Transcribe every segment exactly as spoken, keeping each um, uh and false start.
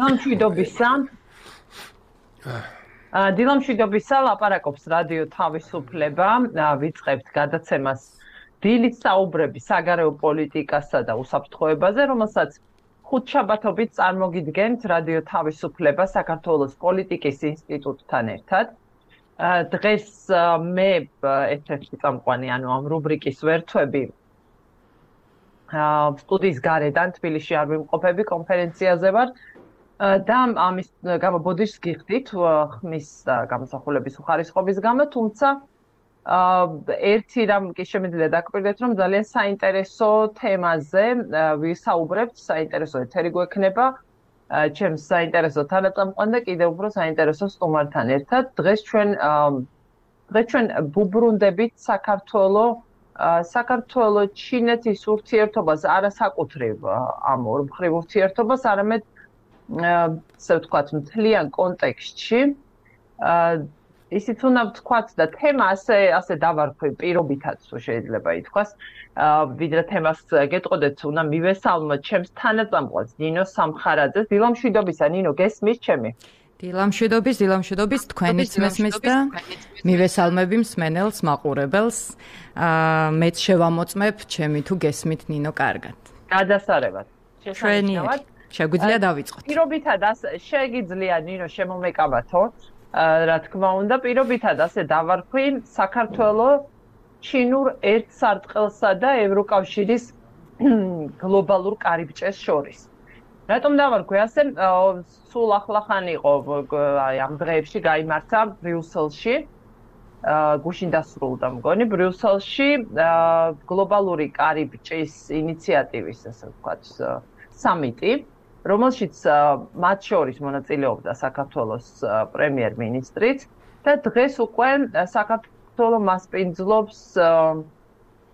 დილამშვიდობისა. დილამშვიდობისა ლაპარაკობს რადიო თავისუფლება. ვიწყებთ გადაცემას დილით საუბრები საგარეო პოლიტიკასა და უსაფრთხოებაზე, რომელსაც ხუთშაბათობით წარმოგიდგენთ რადიო თავისუფლება საქართველოს პოლიტიკის ინსტიტუტთან ერთად. დღეს მე ერთ-ერთი წამყვანი, ანუ ამ რუბრიკის ვერთვები სტუდიის გარედან თბილისში არ ვიმყოფები, კონფერენციაზე ვარ და ამის გამო ბოდიშს გიხდით ხმის გამოსახულების უხარისხობის გამო, თუმცა ერთი რამ კი შემიძლია დაგკვირდეთ, რომ ძალიან საინტერესო თემაზე ვისაუბრებთ, საინტერესო ეთერი გვექნება, ჩემს საინტერესო თანაწამყვან და კიდევ უფრო საინტერესო სტუმართან ერთად. დღეს ჩვენ დღეს ჩვენ ვუბრუნდებით საქართველოს საქართველოს ჩინეთის ურთიერთობას, არასაკუთრებ ამ ორმხრივ ურთიერთობას, არამედ ასე ვთქვათ, მთლიან კონტექსტში. ისიც უნდა ვთქვათ და თემა ასე ასე დავარქვი პირობითაც შეიძლება ითქვას, ვიდრე თემას გეტყოდეთ, უნდა მივესალმოთ ჩემს თანაწამყვანს ნინო სამხარაძეს. დილამშვიდობისა, ნინო, გესმის ჩემი? დილამშვიდობის, დილამშვიდობის, თქვენიც მესმის და მივესალმები მსმენელს, მაყურებელს. მეც შევამოწმებ, ჩემი თუ გესმით ნინო კარგად. გადასარევად. ჩვენი შეგვიძლია დავიწყოთ. პირობითად შეგიძლია ნინო შემომეკავათო, რა თქმა უნდა, პირობითად ასე დავარქვი საქართველოს ჩინურ ერთსარტყელსა და ევროკავშირის გლობალურ კარიბჭეს შორის. რატომ დავარქვი ასე? სულ ახლახან იყო აი ამ დღეებში გაიმართა ბრიუსელში, გუშინ დასრულდა მგონი ბრიუსელში გლობალური კარიბჭის ინიციატივის, ასე ვთქვათ, სამიტი, რომელშიც მათ შორის მონაწილეობდა საქართველოს პრემიერ-მინისტრიც და დღეს უკვე საქართველოს მასპინძლობს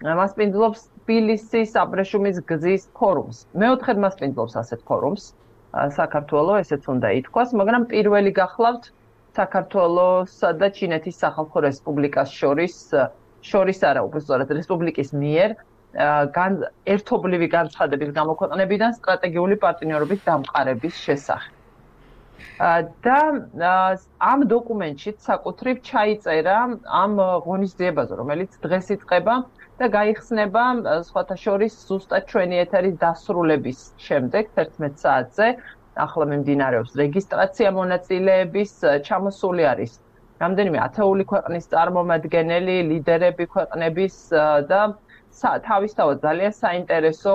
მასპინძლობს თბილისის აბრეშუმის გზის ფორუმს. მეოთხედ მასპინძლობს ასეთ ფორუმს საქართველოს, ესეც უნდა ითქვას, მაგრამ პირველი გახლავთ საქართველოსა და ჩინეთის სახალხო რესპუბლიკას შორის შორის არა, უბრალოდ რესპუბლიკის მიერ ერთობლივი განცხადების გამოქვეყნებიდან სტრატეგიული პარტნიორობის დამყარების შესახებ. და ამ დოკუმენტში საკუთრივ ჩაიწერა ამ ღონისძიებაზე, რომელიც დღეს იწყება და გაიხსნება სხვათა შორის ზუსტად ჩვენი ეთერის დასრულების შემდეგ თერთმეტ საათზე. ახლა მიმდინარეობს რეგისტრაცია მონაწილეების, ჩამოსული არის რამდენიმე ათეული ქვეყნის წარმომადგენელი, ლიდერები ქვეყნების და თავისთავად ძალიან საინტერესო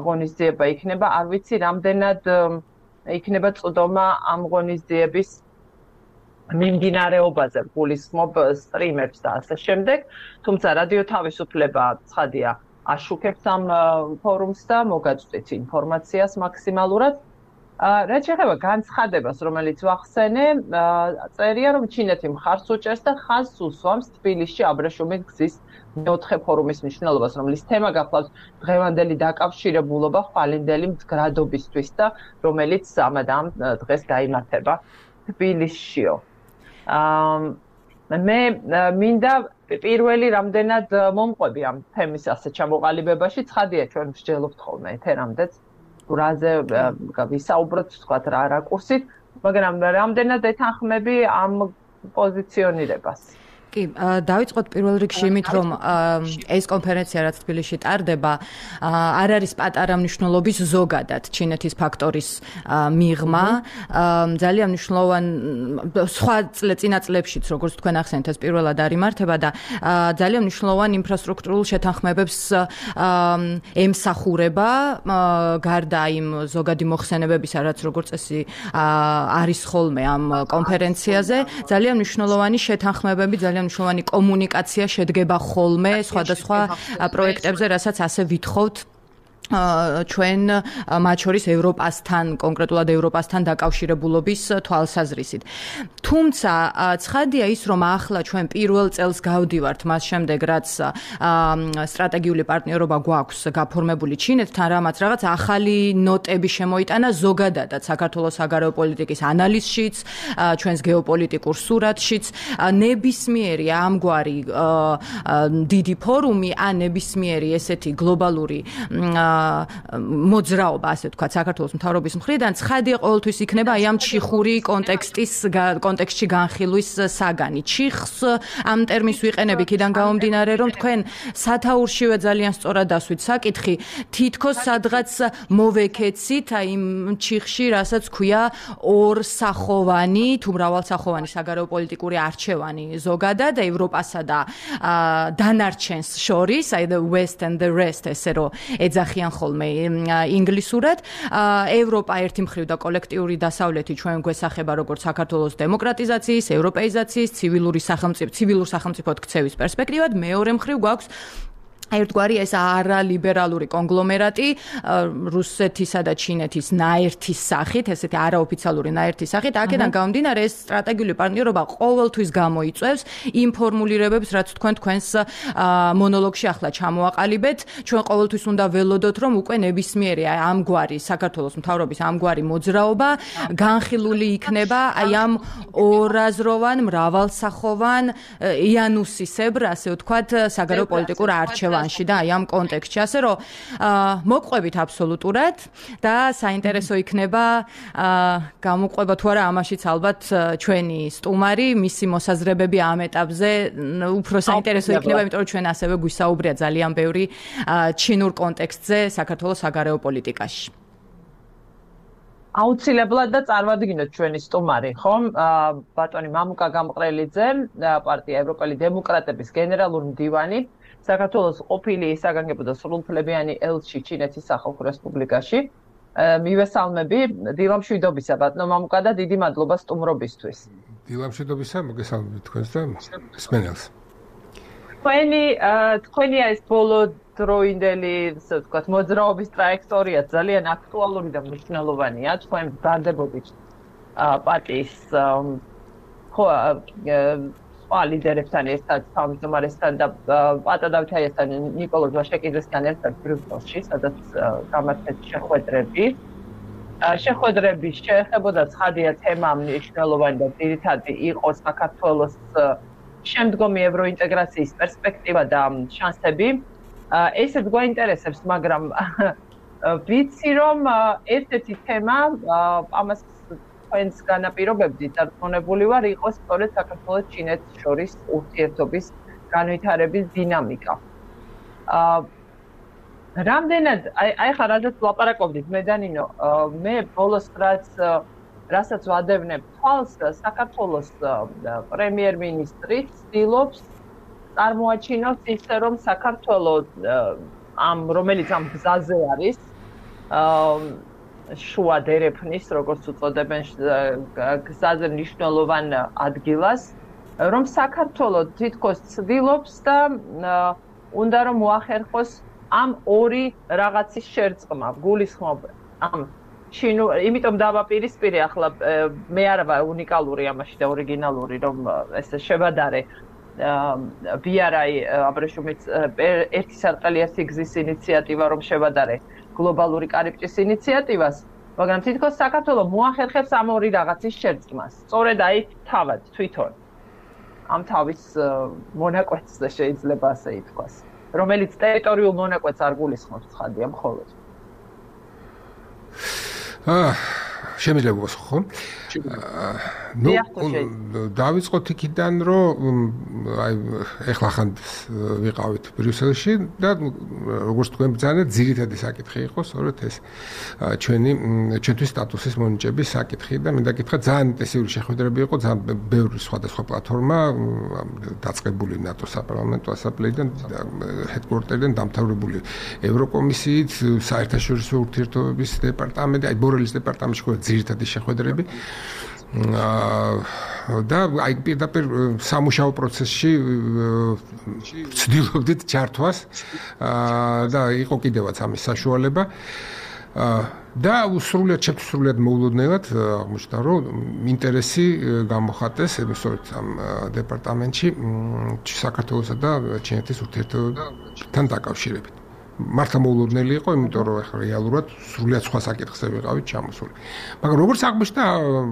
ღონისძიება იქნება. არ ვიცი რამდენად იქნება წვდომა ამ ღონისძიების მიმდინარეობაზე, გულისხმობ სტრიმებს და ასე შემდეგ. თუმცა რადიო თავისუფლება ცხადია აშუქებს ამ ფორუმს და მოგაწვდით ინფორმაციას მაქსიმალურად. რაც შეეხება განცხადებას, რომელიც ვახსენე, წერია, რომ ჩინეთი მხარს უჭერს და ხაზს უსვამს თბილისში აბრეშუმის გზის მეოთხე ფორუმის მნიშვნელობას, რომლის თემა გახლავს დღევანდელი დაკავშირებულობა ხვალინდელი მდგრადობისთვის და რომელიც ამადამ დღეს გაიმართება თბილისშიო. მე მინდა პირველი რამდენად მომყვები ამ თემის ასე ჩამოყალიბებაში, ცხადია ჩვენ მსჯელობთ ხოლმე ეთერამდეც რაზე ვისაუბროთ, თქვათ რა რაკურსით, მაგრამ რამდენად ეთანხმები ამ პოზიციონირებას? კი, დავიწყოთ პირველ რიგში იმით, რომ ეს კონფერენცია, რაც თბილისში ტარდება, არ არის პატარა მნიშვნელობის ზოგადად ჩინეთის ფაქტორის მიღმა. ძალიან მნიშვნელოვანი სხვა წინა წლებშიც, როგორც თქვენ ახსენეთ, ეს პირველად არ იმართება და ძალიან მნიშვნელოვანი ინფრასტრუქტურულ შეთანხმებებს ემსახურება, გარდა იმ ზოგადი მოხსენებებისა, რაც როგორც წესი არის ხოლმე ამ კონფერენციაზე, ძალიან მნიშვნელოვანი შეთანხმებები, ძალიან მნიშვნელოვანი კომუნიკაცია შედგება ხოლმე სხვადასხვა პროექტებზე, რასაც ასე ვითხოვთ ჩვენ მათ შორის ევროპასთან, კონკრეტულად ევროპასთან დაკავშირებულობის თვალსაზრისით. თუმცა ცხადია ის, რომ ახლა ჩვენ პირველ წელს გავდივართ მას შემდეგ, რაც სტრატეგიული პარტნიორობა გვაქვს გაფორმებული ჩინეთთან, რამაც რაღაც ახალი ნოტები შემოიტანა ზოგადადად საქართველოს საგარეო პოლიტიკის ანალიზშიც, ჩვენს გეოპოლიტიკურ სურათშიც. ნებისმიერი ამგვარი დიდი ფორუმი, ან ნებისმიერი ესეთი გლობალური მოძრაობა, ასე ვთქვათ, საქართველოს მთავრობის მხრიდან ცხადი ყოველთვის იქნება აი ამ ჩიხური კონტექსტის კონტექსტში განხილვის საგანი. ჩიხს ამ ტერმინს ვიყენებ იქიდან გამომდინარე, რომ თქვენ სათაურშივე ძალიან სწორად დასვით საკითხი, თითქოს სადღაც მოვეკეცით აი იმ ჩიხში, რასაც ქვია ორსახოვანი თუ მრავალსახოვანი საგარეო პოლიტიკური არჩევანი ზოგადად ევროპასა და დანარჩენს შორის, აი the west and the rest ესე რომ ეძახიან ხოლმე ინგლისურად. ევროპა ერთი მხრივ და კოლექტიური დასავლეთი ჩვენ გვესახება როგორც საქართველოს დემოკრატიზაციის, ევროპეიზაციის, ცივილური სახელმწიფო, ცივილურ სახელმწიფოდ ქცევის პერსპექტივად, მეორე მხრივ გვაქვს ერთგვარი ეს არალიბერალური კონგლომერატი რუსეთისა და ჩინეთის ნაერთის სახით, ესეთი არაოფიციალური ნაერთის სახით, აქედან გამომდინარე ეს სტრატეგიული პარტნიორობა ყოველთვის გამოიწვევს იმ ფორმულირებებს, რაც თქვენ თქვენს მონოლოგში ახლა ჩამოაყალიბეთ. ჩვენ ყოველთვის უნდა ველოდოთ, რომ უკვე ნებისმიერი ამგვარი საქართველოს მთავრობის ამგვარი მოძრაობა განხილული იქნება აი ამ ორაზროვან, მრავალსახოვან იანუსისებრ, ასე ვთქვათ, საგარეო პოლიტიკურ არჩევანში და აი ამ კონტექსტში, ასე რომ მოგყვებით აბსოლუტურად და საინტერესო იქნება გამოყვება თუ არა ამაშიც ალბათ ჩვენი სტუმარი, მისი მოსაზრებები ამ ეტაპზე უფრო საინტერესო იქნება, იმიტომ რომ ჩვენ ასევე გვისაუბრია ძალიან ბევრი ჩინურ კონტექსტზე საქართველოს საგარეო პოლიტიკაში. აუცილებლად და წარმოვიდგინოთ ჩვენი სტუმარი, ხომ? ბატონი მამუკა გამყრელიძე, პარტია ევროპელი დემოკრატების გენერალური მდივანი, საქართველოს ყოფილი საგანგებო და სრულუფლებიანი ელჩი ჩინეთის სახალხო რესპუბლიკაში. მივესალმები, დილამშვიდობისა ბატონო მამუკა და დიდი მადლობა სტუმრობისთვის. დილამშვიდობისა, მოგესალმებით თქვენს და მსმენელს. თქვენი თქვენი ეს ბოლო დროინდელი, ასე ვთქვათ, მოძრაობის ტრაექტორია ძალიან აქტუალური და მნიშვნელოვანია. თქვენ ბრძანდებოდით პარტიის ხო სხვა ლიდერებთან ერთად, თავმჯდომარესთან და პატა დავითაიასთან, ნიკოლოზ ვაშაკიძესთან ერთად ბრიუსელში, სადაც გამართეთ შეხვედრები. შეხვედრები შეეხებოდა ცხადია თემა მნიშვნელოვანი და ძირითადი იყო საქართველოს შემდგომი ევროინტეგრაციის პერსპექტივა და შანსები. ესეც გვაინტერესებს, მაგრამ ვიცი რომ ერთ-ერთი თემა ამას თქვენს განაპირობებდით და რწმუნებული ვარ, იყო სწორედ საქართველოს ჩინეთს შორის ურთიერთობის განვითარების დინამიკა. რამდენად აი ხა რადგან ლაპარაკობდით მე და ნინო, მე ბოლოს რაც რასაც ვადევნებ თვალს, საქართველოს პრემიერ-მინისტრი ცდილობს წარმოაჩინოს ისე, რომ საქართველოს ამ რომელიც ამ გზაზე არის, შუა დერეფნის, როგორც უწოდებენ, გზაზე მნიშვნელოვან ადგილას, რომ საქართველოს თითქოს ცდილობს და უნდა რომ მოახერხოს ამ ორი რაღაცის შერწყმა, გულისხმობ ამ ჩინურ, იმიტომ დავაპირისპირე ახლა მე არ ვარ უნიკალური ამაში და ორიგინალური, რომ ესე შევადარე ბი არ აი აბრეშუმის ერთი სარტყელი ერთი გზის ინიციატივა, რომ შევადარე გლობალური კარიბჭის ინიციატივას, მაგრამ თითქოს საქართველოს მოახერხებს ამ ორი რაღაცის შერწყმას. სწორედ აი თავად თვითონ ამ თავის მონაკვეთზე შეიძლება ასე ითქვას, რომელიც ტერიტორიულ მონაკვეთს არ გულისხმობს ცხადია მხოლოდ. აა შემიძლია გასხო. ნუ დავიწყოთ იქიდან, რომ აი ეხლა ხან ვიყავით ბრიუსელში და როგორც თქვენ ბრძანეთ, ძირითადი საკითხი იყო სწორედ ეს ჩვენი ჩვენთვის სტატუსის მონიჭების საკითხი და მინდა გითხრათ, ძალიან ინტენსიური შეხვედრები იყო, ძალიან ბევრი სხვადასხვა პლატფორმა დაწყებული ნატოს საპარლამენტო ასამბლეიდან, ჰედკვარტერიდან დამთავრებული ევროკომისიით, საერთაშორისო ურთიერთობების დეპარტამენტი, აი ბორელის დეპარტამენტში ყო ძირითადი შეხვედრები. და აი პირდაპირ სამუშაო პროცესში ვცდილობდით ჩართვას და იყო კიდევაც ამის საშუალება და სრულიად შეფსრულიად მოულოდნელად აღმოჩნდა, რომ ინტერესი გამოხატეს სწორედ ამ დეპარტამენტში საქართველოსა და ჩინეთის ურთიერთობებთან დაკავშირებით. მართლა მოულოდნელი იყო, იმიტომ რომ ახლა რეალურად სრულიად სხვა საკითხზე ვიყავით ჩამოსული. მაგრამ როგორც აღმოჩნდა,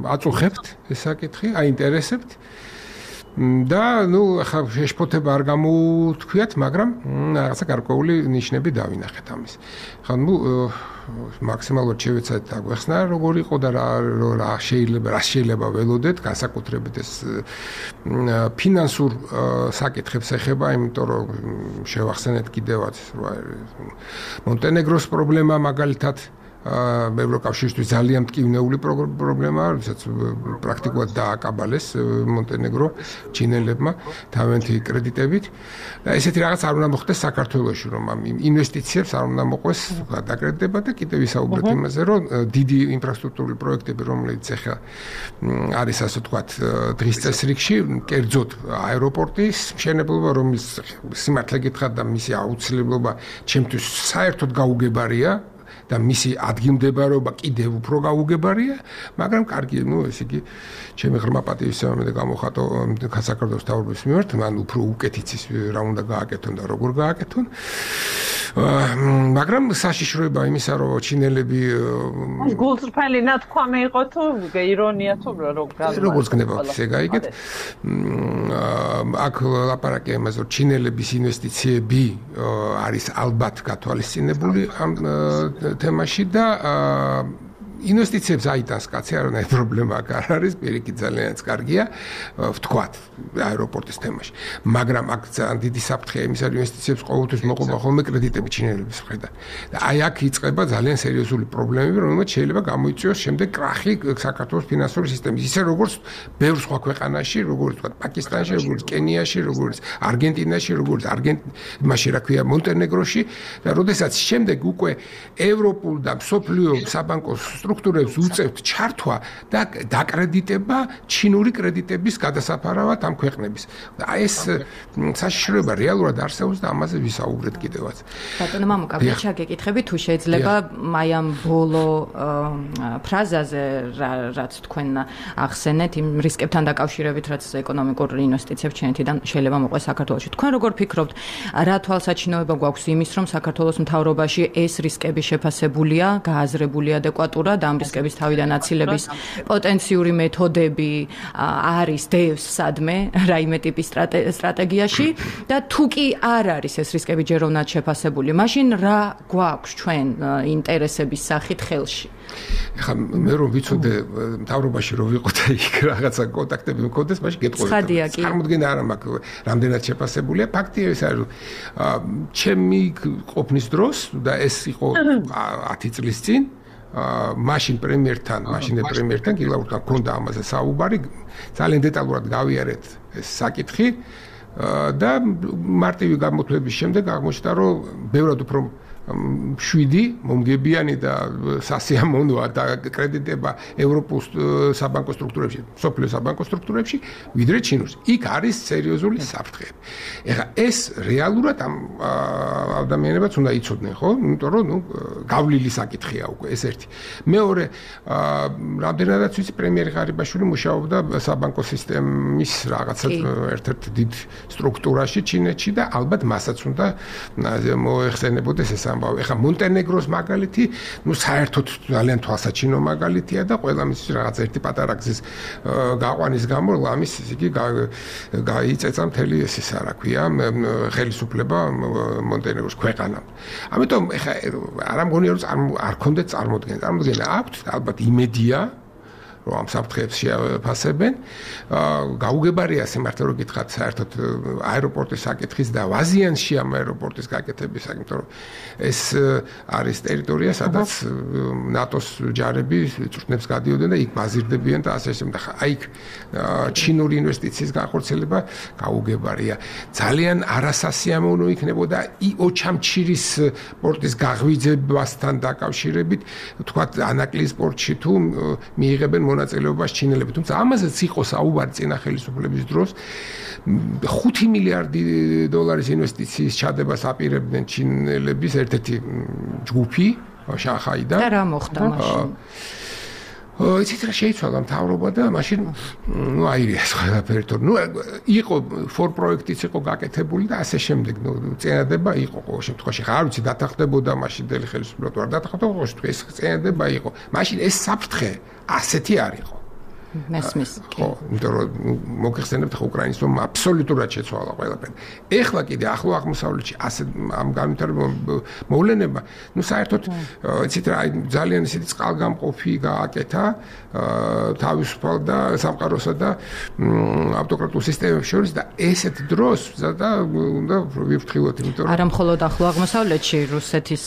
აწუხებთ ეს საკითხი, აინტერესებთ და ნუ ახლა შეშფოთება არ გამოთქვიათ, მაგრამ რაღაცა გარკვეული ნიშნები დავინახეთ ამის. ხა ნუ მაქსიმალურად შევეცადეთ აგვეხსნა როგორ იყო და რა რა შეიძლება რა შეიძლება ველოდეთ, განსაკუთრებით ეს ფინანსურ საკითხებს ეხება, იმიტომ რომ შევახსენეთ კიდევაც მონტენეგროს პრობლემა მაგალითად ევროკავშირისთვის ძალიან მტკივნეული პრობლემაა, როდესაც პრაქტიკულად დააკაბალეს მონტენეგრო ჩინელებმა თავიანთი კრედიტებით. და ესეთი რაღაც არ უნდა მოხდეს საქართველოში, რომ ამ ინვესტიციებს არ უნდა მოყვეს დაკრედიტება და კიდევ ვისაუბრეთ იმაზე, რომ დიდი ინფრასტრუქტურული პროექტები, რომელიც ახლა არის ასე ვთქვათ დღის წესრიგში, კერძოდ აეროპორტის მშენებლობა, რომელიც სიმართლე გითხრათ და მისი აუცილებლობა ჩემთვის საერთოდ გაუგებარია. და მისი ადგილმდებარეობა კიდევ უფრო გაუგებარია, მაგრამ კარგი, ნუ ესე იგი, ჩემი ღრმა პატივისცემა და გამოხატო საქართველოს თავრობის მიმართ, მან უფრო უკეთიცის რა უნდა გააკეთონ და როგორ გააკეთონ. მაგრამ საშიშროება იმისა, რომ ჩინელები გულწრფელი ნათქვამი იყო თუ ირონია თუ როგორ როგორც გნებავთ ისე გაიგეთ. აქ ლაპარაკი იმაზე, რომ ჩინელების ინვესტიციები არის ალბათ გათვალისწინებული ამ თემაში და ინვესტიციებს აიტანს კაცი, არანაირი პრობლემა არ არის, პირიქით ძალიანაც კარგია, ვთქვათ, აეროპორტის თემაში. მაგრამ აქ ძალიან დიდი საფრთხეა იმისა, რომ ინვესტიციებს ყოველთვის მოყვება ხოლმე კრედიტები ჩინელების მხრიდან. და აი აქ იწყება ძალიან სერიოზული პრობლემები, რომელმაც შეიძლება გამოიწვიოს შემდეგ კრახი საქართველოს ფინანსური სისტემის, ისე როგორც ბევრ სხვა ქვეყანაში, როგორც ვთქვათ, პაკისტანში, როგორც კენიაში, როგორც არგენტინაში, როგორც არგენტინაში, რა ქვია, მონტენეგროში და როდესაც შემდეგ უკვე ევროპულ და მსოფლიო საბანკო სტრუქტურებს უწევთ ჩართვა და დაკრედიტება ჩინური კრედიტების გადასაფარავად ამ ქვეყნების. და ეს საშიშროება რეალურად არსებობს და ამაზე ვისაუბრეთ კიდევაც. ბატონო მამუკა, შეგეკითხები თუ შეიძლება აი ამ ბოლო ფრაზაზე რაც თქვენ ახსენეთ იმ რისკებთან დაკავშირებით, რაც ეკონომიკურ ინვესტიციებს ჩინეთიდან შეიძლება მოყვეს საქართველოში. თქვენ როგორ ფიქრობთ, რა თვალსაჩინოება გვაქვს იმის, რომ საქართველოს მთავრობაში ეს რისკები შეფასებულია, გააზრებული ადეკვატურად ამ რისკების თავიდან აცილების პოტენციური მეთოდები არის დევს სადმე რაიმე ტიპის სტრატეგიაში და თუ კი არ არის ეს რისკები ჯეროვნად შეფასებული, მაშინ რა გვაქვს ჩვენ ინტერესების სახით ხელში? ეხლა მე რომ ვიცოდე მთავრობაში რომ ვიყო და იქ რაღაცა კონტაქტები მქონდეს, მაშინ გეტყობოდა. წარმოდგენა არ მაქვს რამდენად შეფასებულია. ფაქტია ეს არის, ჩემი ყოფნის დროს და ეს იყო ათი წლის წინ მაშინ პრემიერთან, მაშინ პრემიერთან გილაურთან ქონდა ამაზე საუბარი, ძალიან დეტალურად გავიარეთ ეს საკითხი და მარტივი გამოთვლების შემდეგ აღმოჩნდა, რომ ბევრად უფრო შვიდი მომგებიანი და სასიამოვნოა და კრედიტება ევროპულ საბანკო სტრუქტურებში, სოფლიო საბანკო სტრუქტურებში, ვიდრე ჩინურში. იქ არის სერიოზული საფრთხეები. ეხლა ეს რეალურად ამ ადამიანებიც უნდა იცოდნენ, ხო? იმიტომ რომ ნუ გავლილი საკითხია უკვე ეს ერთი. მეორე, რამდენადაც ვიცი, პრემიერი ღარიბაშვილი მუშაობდა საბანკო სისტემის რაღაცა ერთ-ერთ დიდ სტრუქტურაში ჩინეთში და ალბათ მასაც უნდა მოეხსენებოდეს ეს ეხლა მონტენეგროს მაგალითი, ნუ საერთოდ ძალიან თვალსაჩინო მაგალითია და ყველა მის რაღაც ერთი პატარა გზის გაყვანის გამო ლამის იგი გაიწეცა მთელი ეს ისა რა ქვია, ხელისუფლება მონტენეგროს ქვეყანამ. ამიტომ ეხლა არ ამგონია რომ არ ქონდეთ წარმოდგენა. წარმოდგენა აქვთ, ალბათ იმედია რომ ამ საფრთხეებს შეაფასებენ. გაუგებარია სიმართლე რომ გითხრათ, საერთოდ აეროპორტის საკითხის და ვაზიანში ამ აეროპორტის გაკეთების, იმიტომ რომ ეს არის ტერიტორია, სადაც ნატოს ჯარები წვრთნებს გადიოდნენ და იქ ბაზირდებიან და ასე შემდეგ. აი იქ ჩინური ინვესტიციის განხორციელება გაუგებარია. ძალიან არასასიამოვნო იქნებოდა ოჩამჩირის პორტის გაღვიძებასთან დაკავშირებით, თქვათ ანაკლიის პორტში თუ მიიღებენ მონაწილეობას ჩინელები, თუმცა ამაზეც იყო საუბარი წინა ხელისუფლების დროს. ხუთი მილიარდი დოლარის ინვესტიციის ჩადებას აპირებდნენ ჩინელების ერთ-ერთი ჯგუფი შანხაიდან. და რა მოხდა მაშინ? იცით რა შეიცვალა მთავრობა და მაშინ ნუ აირიას ყველაფერი, თორე ნუ იყო ფორ პროექტიც იყო გაკეთებული და ასე შემდეგ, ნუ წინადება იყო ყოველ შემთხვევაში. ხა არ ვიცი დათანხმდებოდა მაშინდელი ხელისუფლება თუ არ დათანხმდებოდა, ეს წინადება იყო. მაშინ ეს საფრთხე ასეთი არ იყო. მესმის. ხო, იმიტომ რომ მოგეხსენებთ ხო უკრაინის რომ აბსოლუტურად შეცვალა ყველაფერი. ეხლა კიდე ახლო აღმოსავლეთში ასე ამ განვითარებამ მოვლენება, ну საერთოდ იცით რა ძალიან ისეთი წყალგამყოფი გააკეთა თავისუფალ და სამყაროსა და ავტოკრატულ სისტემებს შორის და ესეთ დროს და უნდა ვიფრთხილოთ, იმიტომ რომ არა მხოლოდ ახლო აღმოსავლეთში რუსეთის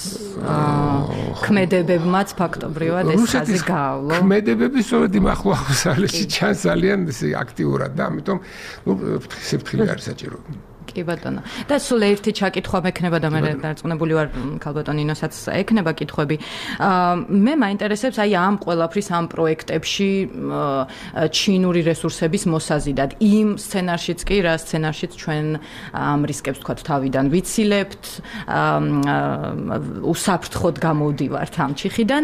ქმედებებმაც ფაქტობრივად ეს ხაზი გაავლო. ქმედებები სწორედ იმ ახლო აღმოსავლეთში ჩანს ძალიან აქტიურად და ამიტომ ნუ სიფრთხილე არის საჭირო. კი ბატონო. და სულ ერთი ჩაკითხვა მექნება და მე დარწმუნებული ვარ ქალბატონ ინოსაც ექნება კითხვები. მე მაინტერესებს აი ამ ყველაფრის ამ პროექტებში ჩინური რესურსების მოსაზიდად. იმ სცენარშიც კი რა სცენარშიც ჩვენ ამ რისკებს თქვათ თავიდან ვიცილებთ, უსაფრთხოდ გამოვდივართ ამ ჩიხიდან.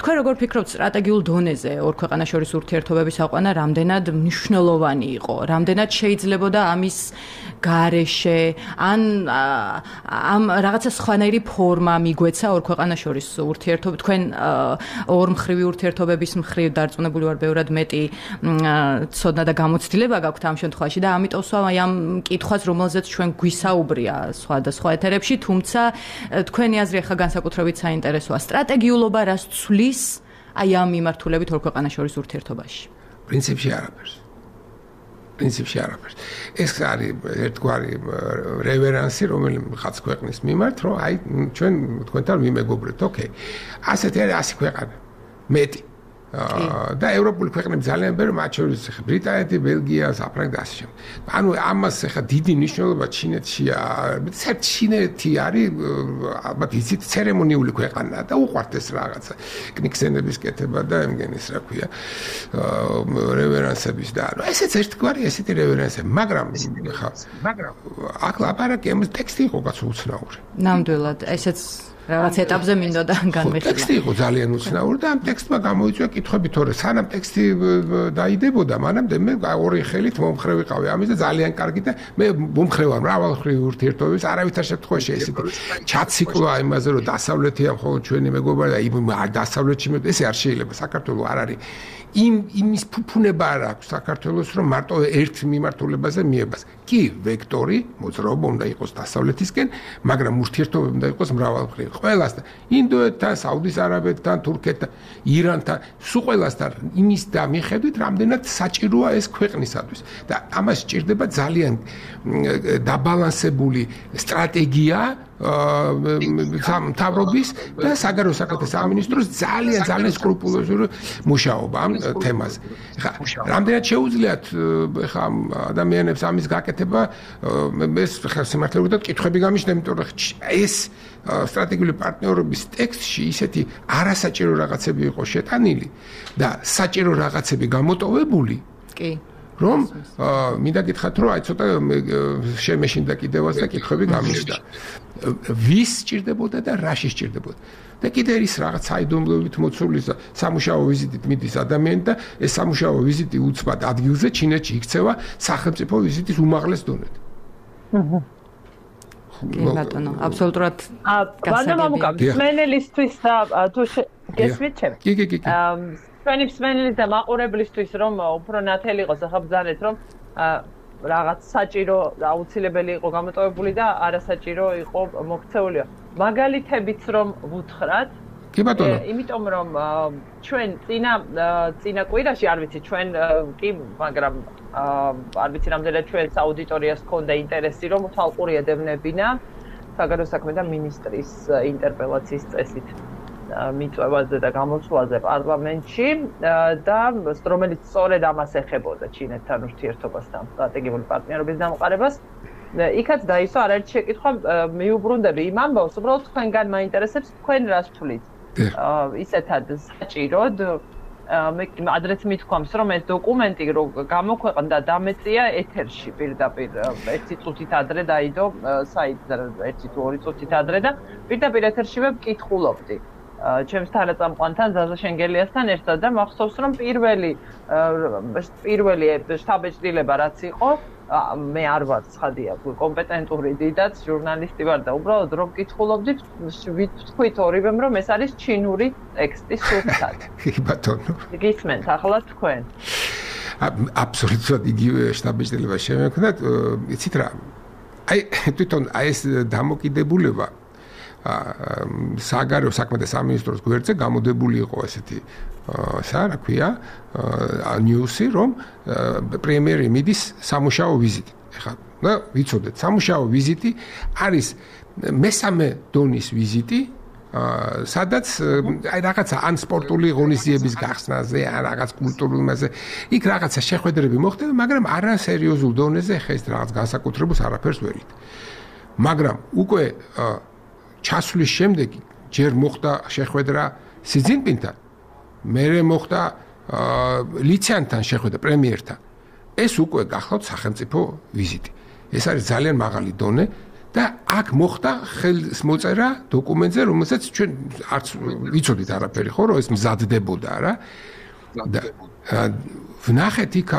თქვენ როგორ ფიქრობთ სტრატეგიულ დონეზე ორ ქვეყანას შორის ურთიერთობების აყვანა რამდენად მნიშვნელოვანი იყო? რამდენად შეიძლებოდა ამის გარეშე ან ამ რაღაცა სხვანაირი ფორმა მიგვეცა ორ ქვეყანას შორის ურთიერთობა თქვენ ორმხრივი ურთიერთობების მხრივ დარწმუნებული ვარ ბევრად მეტი ცოდნა და გამოცდილება გაქვთ ამ შემთხვევაში და ამიტომ სვა ამ კითხვას რომელზეც ჩვენ გვისაუბრია სხვადასხვა ეთერებში თუმცა თქვენი აზრი ახლა განსაკუთრებით საინტერესოა სტრატეგიულობა რას ცვლის აი ამ მიმართულებით ორ ქვეყანას შორის ურთიერთობაში პრინციპში არაფერს პრინციპში არაფერს. ეს არის ერთგვარი რევერანსი, რომელიღაც ქვეყნის მიმართ, რომ აი ჩვენ თქვენთან ვიმეგობრებთ, ოკეი. ასეთი არის ასი ქვეყანა. მეტი. და ევროპული ქვეყნები ძალიან ბევრი, მათ შორის ბრიტანეთი, ბელგია, საფრანგეთი და ასე შემდეგ. ანუ ამას ახლა დიდი მნიშვნელობა ჩინეთშია. საერთოდ ჩინეთი არის ალბათ იცით ცერემონიული ქვეყანა და უყვართ ეს რაღაცა. კნიგსენების კეთება და იმგენის რა ქვია რევერანსების და ანუ ესეც ერთგვარი ესეთი რევერანსები, მაგრამ ხა მაგრამ აქ ლაპარაკი ამ ტექსტი იყო კაცო უცნაური. ნამდვილად, ესეც რაღაც ეტაპზე მინდოდა განმეხილა. ტექსტი იყო ძალიან უცნაური და ამ ტექსტმა გამოიწვია კითხვები, თორე სანამ ტექსტი დაიდებოდა, მანამდე მე ორი ხელით მომხრე ვიყავი ამის და ძალიან კარგი და მე მომხრე ვარ მრავალმხრივი ურთიერთობების, არავითარ შემთხვევაში ესეთი ჩაციკლა იმაზე, რომ დასავლეთია მხოლოდ ჩვენი მეგობრები და იმ დასავლეთში მე ესე არ შეიძლება, საქართველოს არ არის იმ იმის ფუფუნება არ აქვს საქართველოს, რომ მარტო ერთ მიმართულებაზე მიებას. კი, ვექტორი, მოძრაობა უნდა იყოს დასავლეთისკენ, მაგრამ ურთიერთობები უნდა იყოს მრავალმხრივი. ყველასთან, ინდოეთთან, საუდის არაბეთთან, თურქეთთან, ირანთან, სულ ყველასთან იმის და მიხედვით, რამდენად საჭიროა ეს ქვეყნისათვის. და ამას სჭირდება ძალიან დაბალანსებული სტრატეგია მთავრობის და საგარეო საქმეთა სამინისტროს ძალიან ძალიან სკრუპულოზური მუშაობა ამ თემაზე. ხა, რამდენად შეუძლიათ ხა ადამიანებს ამის გაკეთება, ეს ხა სიმართლე ვთქვათ, კითხვები გამიშნე, იმიტომ რომ ეს სტრატეგიული პარტნიორობის ტექსტში ისეთი არასაჭირო რაღაცები იყო შეტანილი და საჭირო რაღაცები გამოტოვებული. კი. რომ მინდა გითხრათ, რომ აი ცოტა შემეშინდა კიდევაც და კითხვები გამიშდა. ვის სჭირდებოდა და რაში სჭირდებოდა? და კიდე ის რაღაც საიდუმლოებით მოცული სამუშაო ვიზიტით მიდის ადამიანი და ეს სამუშაო ვიზიტი უცბად ადგილზე ჩინეთში იქცევა სახელმწიფო ვიზიტის უმაღლეს დონედ. აჰა. კი ბატონო, აბსოლუტურად გასაგებია. ბატონო, მსმენელისთვის თუ გესმით ჩემ? კი, კი, კი. ჩვენი მსმენელის და მაყურებლისთვის რომ უფრო ნათელი იყოს, ახლა ბრძანეთ რომ რაღაც საჭირო აუცილებელი იყო გამოტოვებული და არასაჭირო იყო მოქცეულია. მაგალითებიც რომ ვუთხრათ, კი ბატონო. იმიტომ რომ ჩვენ წინა წინა კვირაში არ ვიცი ჩვენ კი, მაგრამ არ ვიცი რამდენად ჩვენს აუდიტორიას ჰქონდა ინტერესი რომ თვალყური ედევნებინა საგარეო საქმეთა მინისტრის ინტერპელაციის წესით. მიწვევაზე და გამოსვლაზე პარლამენტში და რომელიც სწორედ ამას ეხებოდა ჩინეთთან ურთიერთობასთან სტრატეგიული პარტნიორობის დამყარებას. იქაც დაისვა არაერთი შეკითხვა მიუბრუნდები იმ ამბავს, უბრალოდ თქვენგან მაინტერესებს თქვენ რას თვლით. ისეთად საჭიროდ მე ადრეც მithქვამს რომ ეს დოკუმენტი რო გამოქვეყნდა დამეწია ეთერში პირდაპირ ერთი წუთით ადრე დაიდო საიტზე ერთი თუ ორი წუთით ადრე და პირდაპირ ეთერშივე ვკითხულობდი. ჩემს თანაწამყვანთან ზაზა შენგელიასთან ერთად და მახსოვს რომ პირველი პირველი შტაბ-ეჭდილება რაც იყო მე არ ვარ ცხადია კომპეტენტური დიდაც ჟურნალისტი ვარ და უბრალოდ რომ ვკითხულობდი ვთქვით ორივემ რომ ეს არის ჩინური ტექსტი სულთად. კი ბატონო. გისმენთ ახლა თქვენ. აბსოლუტურად იგივე შტაბ-ბიჭდილება შემექნათ, იცით რა. აი თვითონ აი ეს დამოკიდებულება საგარეო საქმეთა სამინისტროს გვერდზე გამოდებული იყო ესეთი სა რა ქვია ნიუსი რომ პრემიერი მიდის სამუშაო ვიზიტით. ეხლა და ვიცოდეთ სამუშაო ვიზიტი არის მესამე დონის ვიზიტი სადაც აი რაღაცა ან სპორტული ღონისძიების გახსნაზე ან რაღაც კულტურულ მასზე იქ რაღაცა შეხვედრები მოხდება მაგრამ არა სერიოზულ დონეზე ხა ეს რაღაც განსაკუთრებულს არაფერს ვერით მაგრამ უკვე ჩასვლის შემდეგ ჯერ მოხდა შეხვედრა სი ძინპინთან მერე მოხდა ლიციანთან შეხვედრა პრემიერთან ეს უკვე გახლავთ სახელმწიფო ვიზიტი ეს არის ძალიან მაღალი დონე და აქ მოხდა ხელს მოწერა დოკუმენტზე რომელსაც ჩვენ არც ვიცოდით არაფერი ხო რომ ეს მზადდებოდა რა და ვნახეთ იქ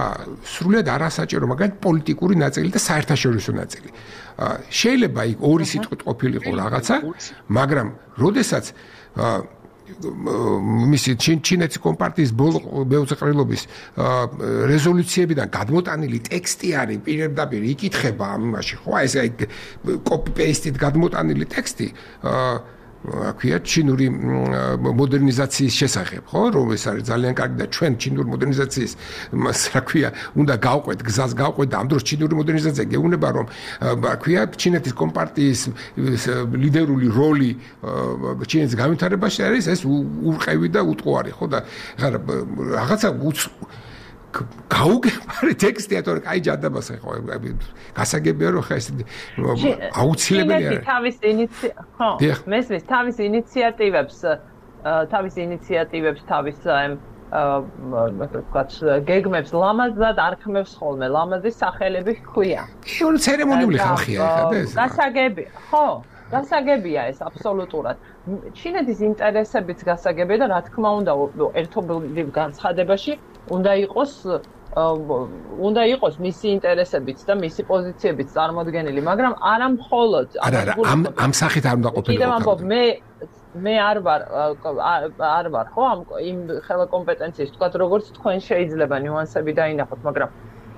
სრულიად არასაჭირო მაგალითად პოლიტიკური ნაწილი და საერთაშორისო ნაწილი შეიძლება იქ ორი სიტყვით ყოფილიყო რაღაცა მაგრამ როდესაც მისი ჩინეთის კომპარტიის ბეუწეყრილობის რეზოლუციებიდან გადმოტანილი ტექსტი არის პირდაპირ იკითხება ამ იმაში ხო ეს აი კოპი პეისტით გადმოტანილი ტექსტი აქვია ჩინური მოდერნიზაციის შესახებ ხო რომ ეს არის ძალიან კარგი და ჩვენ ჩინური მოდერნიზაციის რა ქვია უნდა გავყვეთ გზას გავყვეთ და ამ დროს ჩინური მოდერნიზაცია გეუბნება რომ აქვია ჩინეთის კომპარტიის ლიდერული როლი ჩინეთის განვითარებაში არის ეს ურყევი და უტყუარი ხო და რაღაცა გაუგებარი ტექსტია თორე კაი ჯადაბას ხო გასაგებია რომ ხა ეს აუცილებელია თავის ინიციატივებს ხო მესმის თავის ინიციატივებს თავის ინიციატივებს თავის ვთქვათ გეგმებს ლამაზად არქმევს ხოლმე ლამაზი სახელები ჰქვია შენ ცერემონიული ხალხია ხა და ეს გასაგები ხო გასაგებია ეს აბსოლუტურად ჩინეთის ინტერესებიც გასაგებია და რა თქმა უნდა ერთობლივ განცხადებაში უნდა იყოს უნდა იყოს მისი ინტერესებიც და მისი პოზიციებიც წარმოდგენილი მაგრამ არა მხოლოდ არა არა ამ ამ სახით არ უნდა ყოფილიყო მე მე არ ვარ არ ვარ ხო ამ იმ ხელა კომპეტენციის თქვათ როგორც თქვენ შეიძლება ნიუანსები დაინახოთ მაგრამ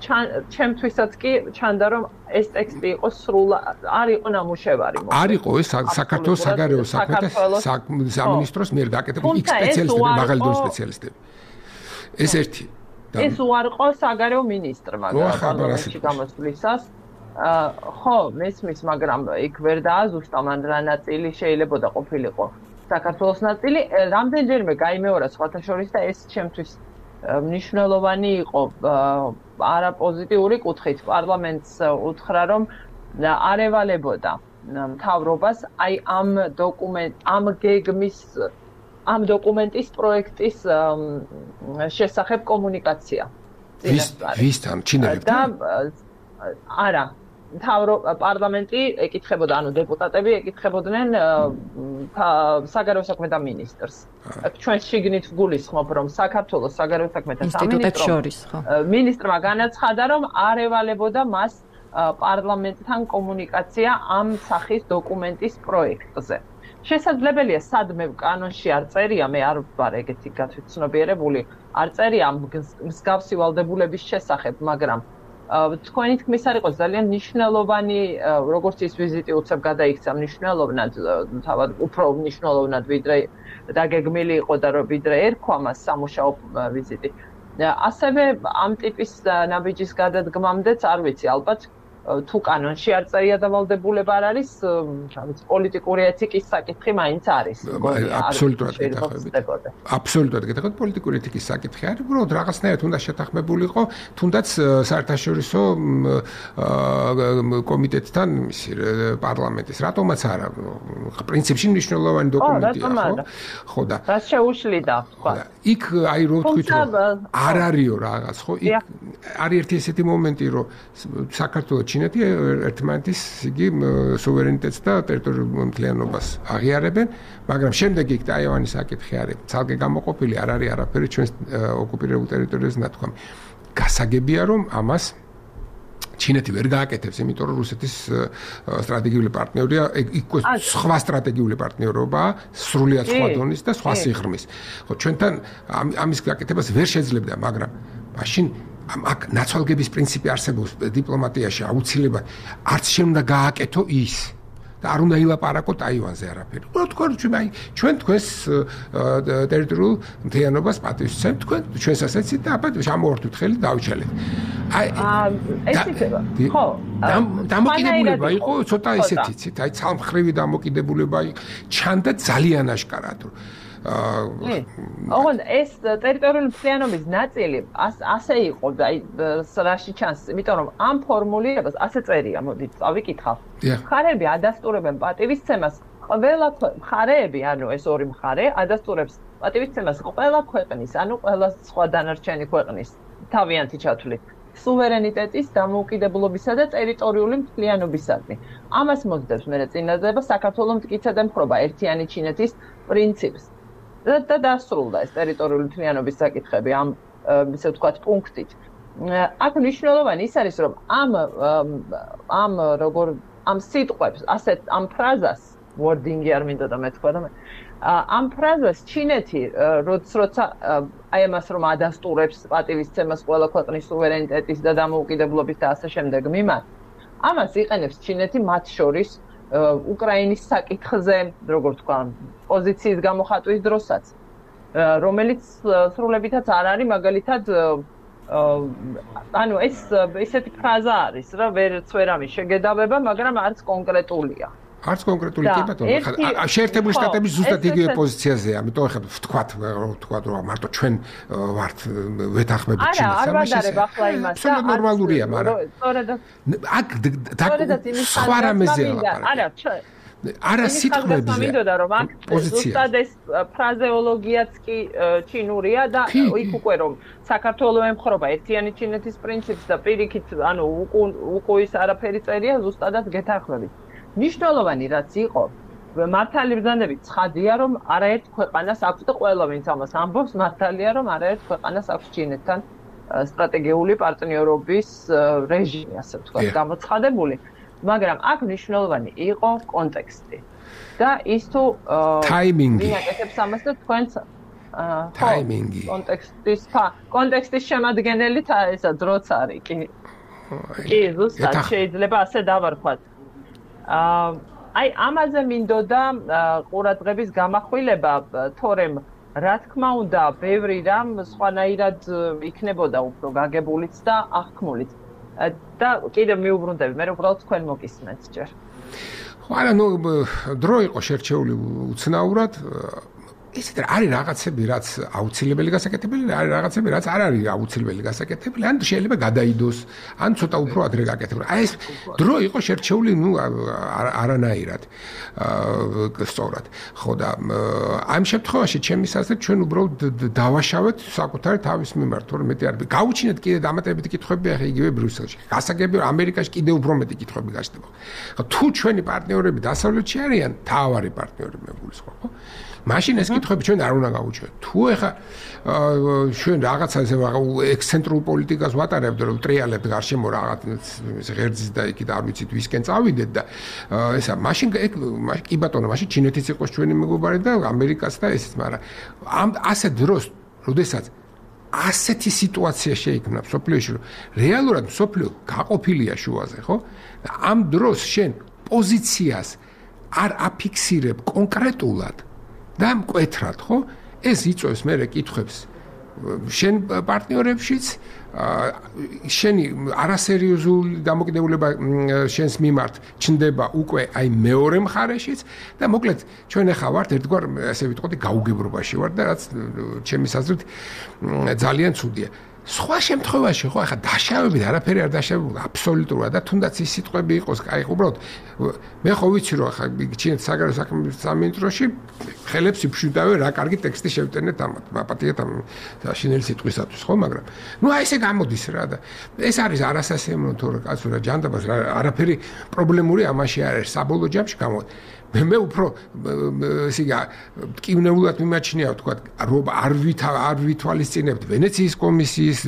ჩემთვისაც კი ჩანდა რომ ეს ტექსტი იყოს სრულ არ იყო ნამუშევარი მოკლედ არ იყო ეს საქართველოს საგარეო საქმეთა სამინისტროს მიერ გაკეთებული იქ სპეციალისტები მაღალი დონის სპეციალისტები ეს ერთი ეს უარყო საგარეო მინისტრმა პარლამენტში გამოსვლისას ხო მესმის მაგრამ იქ ვერ დააზუსტა მან რა ნაწილი შეიძლება და ყოფილიყო საქართველოს ნაწილი რამდენჯერმე გაიმეორა სხვათა შორის და ეს ჩემთვის მნიშვნელოვანი იყო არა პოზიტიური კუთხით პარლამენტს უთხრა რომ არ ევალებოდა მთავრობას აი ამ დოკუმენტ ამ გეგმის ამ დოკუმენტის პროექტის შესახებ კომუნიკაცია ვისთან ჩინელებთან არა მთავრო პარლამენტი ეკითხებოდა ანუ დეპუტატები ეკითხებოდნენ საგარეო საქმეთა მინისტრს ჩვენ შიგნით ვგულისხმობ რომ საქართველოს საგარეო საქმეთა სამინისტრო მინისტრმა განაცხადა რომ არ ევალებოდა მას პარლამენტთან კომუნიკაცია ამ სახის დოკუმენტის პროექტზე შესაძლებელია სადმე კანონში არ წერია მე არ ვარ ეგეთი გათვითცნობიერებული არ წერია მსგავსი ვალდებულების შესახებ მაგრამ თქვენი თქმის არ იყოს ძალიან მნიშვნელოვანი როგორც ის ვიზიტი უცებ გადაიქცა მნიშვნელოვნად თავად უფრო მნიშვნელოვნად ვიდრე დაგეგმილი იყო და ვიდრე ერქვა მას სამუშაო ვიზიტი ასევე ამ ტიპის ნაბიჯის გადადგმამდეც არ ვიცი ალბათ თუ კანონში არ წერია დავალდებულება არ არის ვიცი პოლიტიკური ეთიკის საკითხი მაინც არის აბსოლუტურად გეთახმებით აბსოლუტურად გეთახმებით პოლიტიკური ეთიკის საკითხი არის უბრალოდ რაღაცნაირად უნდა შეთანხმებულიყო თუნდაც საერთაშორისო კომიტეტთან მისი პარლამენტის რატომაც არა პრინციპში მნიშვნელოვანი დოკუმენტია ხო ხო და რა შეუშლიდა ხო იქ აი რო ვთქვით რომ არ არისო რაღაც ხო იქ არის ერთი ესეთი მომენტი რომ საქართველოს ჩინეთი ერთმანეთის იგი სუვერენიტეტს და ტერიტორიულ მთლიანობას აღიარებენ, მაგრამ შემდეგ იქ ტაივანის საკითხი არის ცალკე გამოყოფილი, არ არის არაფერი ჩვენს ოკუპირებულ ტერიტორიაზე ნათქვამი. გასაგებია რომ ამას ჩინეთი ვერ გააკეთებს, იმიტომ რომ რუსეთის სტრატეგიული პარტნიორია, იქ სხვა სტრატეგიული პარტნიორობაა, სრულიად სხვა დონის და სხვა სიღრმის. ხო, ჩვენთან ამის გაკეთებას ვერ შეძლებდა, მაგრამ მაშინ აქ ნაცვალგების პრინციპი არსებობს დიპლომატიაში აუცილებლად არც შენ უნდა გააკეთო ის და არ უნდა ილაპარაკო ტაივანზე არაფერი. უბრალოდ თქვენ ჩვენ ჩვენ თქვენს ტერიტორიულ მთლიანობას პატივს ვცემთ, თქვენ ჩვენს ასეცით და აბა ჩამოვართვით ხელი დავიჩალეთ. აი ეს იქნება. ხო, დამოკიდებულება იყო ცოტა ესეთი ცით, აი ცალმხრივი დამოკიდებულება ჩანდა ძალიან აშკარად. ოღონდ ეს ტერიტორიული მთლიანობის ნაწილი ასე იყო და აი რაში ჩანს, იმიტომ რომ ამ ფორმულირებას ასე წერია, მოდით წავიკითხავ. მხარეები ადასტურებენ პატივისცემას ყველა მხარეები, ანუ ეს ორი მხარე ადასტურებს პატივისცემას ყველა ქვეყნის, ანუ ყველა სხვა დანარჩენი ქვეყნის თავიანთი ჩათვლით სუვერენიტეტის, დამოუკიდებლობისა და ტერიტორიული მთლიანობისადმი. ამას მოსდევს მე წინადადება საქართველოს მტკიცედ ემხრობა ერთიანი ჩინეთის პრინციპს. და დასრულდა ეს ტერიტორიული მთლიანობის საკითხები ამ ისე ვთქვათ პუნქტით. აქ მნიშვნელოვანი ის არის, რომ ამ ამ როგორ ამ სიტყვებს, ასეთ ამ ფრაზას, wording-ი არ მინდა და მეთქვა და ამ ფრაზას ჩინეთი როცა აი ამას რომ ადასტურებს პატივისცემას ყველა ქვეყნის სუვერენიტეტის და დამოუკიდებლობის და ასე შემდეგ მიმართ, ამას იყენებს ჩინეთი მათ შორის უკრაინის საკითხზე, როგორ თქვა, პოზიციის გამოხატვის დროსაც, რომელიც სრულებითაც არ არის, მაგალითად, ანუ ეს ისეთი ფრაზა არის, რა ვერც ვერ ამის შეგედავება, მაგრამ არც კონკრეტულია. არც კონკრეტული კი ბატონო, ხა შეერთებული შტატების ზუსტად იგივე პოზიციაზეა, ამიტომ ხა ვთქვათ, ვთქვათ რომ მარტო ჩვენ ვართ ვეთანხმებით ჩინეთს, არა, არ ვადარებ ახლა იმას. absolუტურად ნორმალურია, მაგრამ აქ სხვა რამეზეა ლაპარაკი. არა, ჩვენ არა სიტყვებზე. მინდოდა რომ აქ ზუსტად ეს ფრაზეოლოგიაც კი ჩინურია და იქ უკვე რომ საქართველოს ემხრობა ერთიანი ჩინეთის პრინციპს და პირიქით, ანუ უკუის არაფერი წერია, ზუსტადად გეთანხმებით. ნიშნულოვანი რაც იყო, მართალი ბრძანებით ცხადია, რომ არაერთ ქვეყანას აქვს და ყველა ვინც ამას ამბობს, მართალია, რომ არაერთ ქვეყანას აქვს ჩინეთთან სტრატეგიული პარტნიორობის რეჟიმი, ასე ვთქვათ, გამოცხადებული. მაგრამ აქ ნიშნულოვანი იყო კონტექსტი და ის თუ ტაიმინგი ვინაკეთებს ამას და თქვენც ტაიმინგი კონტექსტის კონტექსტის შემადგენელი ესა დროც არის კი კი ზუსტად შეიძლება ასე დავარქვათ. აი ამაზე მინდოდა ყურადღების გამახვილება, თორემ რა თქმა უნდა, ბევრი რამ სხვანაირად იქნებოდა უფრო გაგებულიც და აღქმულიც. და კიდევ მიუბრუნდები, მე უბრალოდ თქვენ მოგისმენთ ჯერ. ხო, არა, ნუ დრო იყო შერჩეული უცნაურად. ისეთ არის რაღაცები, რაც აუცილებელი გასაკეთებელი, არის რაღაცები, რაც არ არის აუცილებელი გასაკეთებელი, ან შეიძლება გადაიდოს, ან ცოტა უფრო ადრე გაკეთებულა. აი ეს დრო იყო შერჩეული, ნუ არანაირად. აა სწორად. ხო და ამ შემთხვევაში ჩემი აზრით ჩვენ უბრალოდ დავაშავეთ საკუთარი თავის მიმართ, თორემ მეტი არ გავუჩინეთ კიდე დამატებითი კითხვები ახლა იგივე ბრიუსელში. გასაგებია ამერიკაში კიდე უფრო მეტი კითხვები გაჩნდება. ხო თუ ჩვენი პარტნიორები დასავლეთში არიან, თავარი პარტნიორები მეგულისხმობ, ხო? მაშინ ეს კითხვები ჩვენ არ უნდა გავუჩვენოთ. თუ ეხა ჩვენ რაღაცა ესე ექსცენტრულ პოლიტიკას ვატარებთ, რომ ტრიალებთ გარშემო რაღაც ღერძის და იქით არ ვიცით ვისკენ წავიდეთ და ესა მაშინ კი ბატონო, მაშინ ჩინეთიც იყოს ჩვენი მეგობარი და ამერიკაც და ესეც, მაგრამ ამ ასე დროს, როდესაც ასეთი სიტუაცია შეიქმნა სოფლიოში, რომ რეალურად სოფლიო გაყოფილია შუაზე, ხო? ამ დროს შენ პოზიციას არ აფიქსირებ კონკრეტულად და მკვეთრად, ხო? ეს იწვევს მერე კითხვებს შენ პარტნიორებშიც, შენი არასერიოზული დამოკიდებულება შენს მიმართ ჩნდება უკვე აი მეორე მხარეშიც და მოკლედ ჩვენ ახლა ვართ ერთგვარ ასე ვიტყოდი გაუგებრობაში ვართ და რაც ჩემის აზრით ძალიან ცუდია. სხვა შემთხვევაში ხო ახლა დაშავებით არაფერი არ დაშავებული აბსოლუტურად და თუნდაც ის სიტყვები იყოს, აი უბრალოდ მე ხო ვიცი რომ ახლა ჩინეთის საგარეო საქმეების სამინისტროში ხელებს იფშვიდავენ რა კარგი ტექსტი შევტენეთ ამათ, მაპატიეთ ამ შინელი სიტყვისათვის, ხო, მაგრამ ნუ აი ესე გამოდის რა და ეს არის არასასიამოვნო თორე კაცო რა ჯანდაბას არაფერი პრობლემური ამაში არ არის საბოლოო ჯამში გამოდის. მე უფრო ისე ტკივნეულად მიმაჩნია თქვა რომ არ ვითა არ ვითვალისწინებთ ვენეციის კომისიის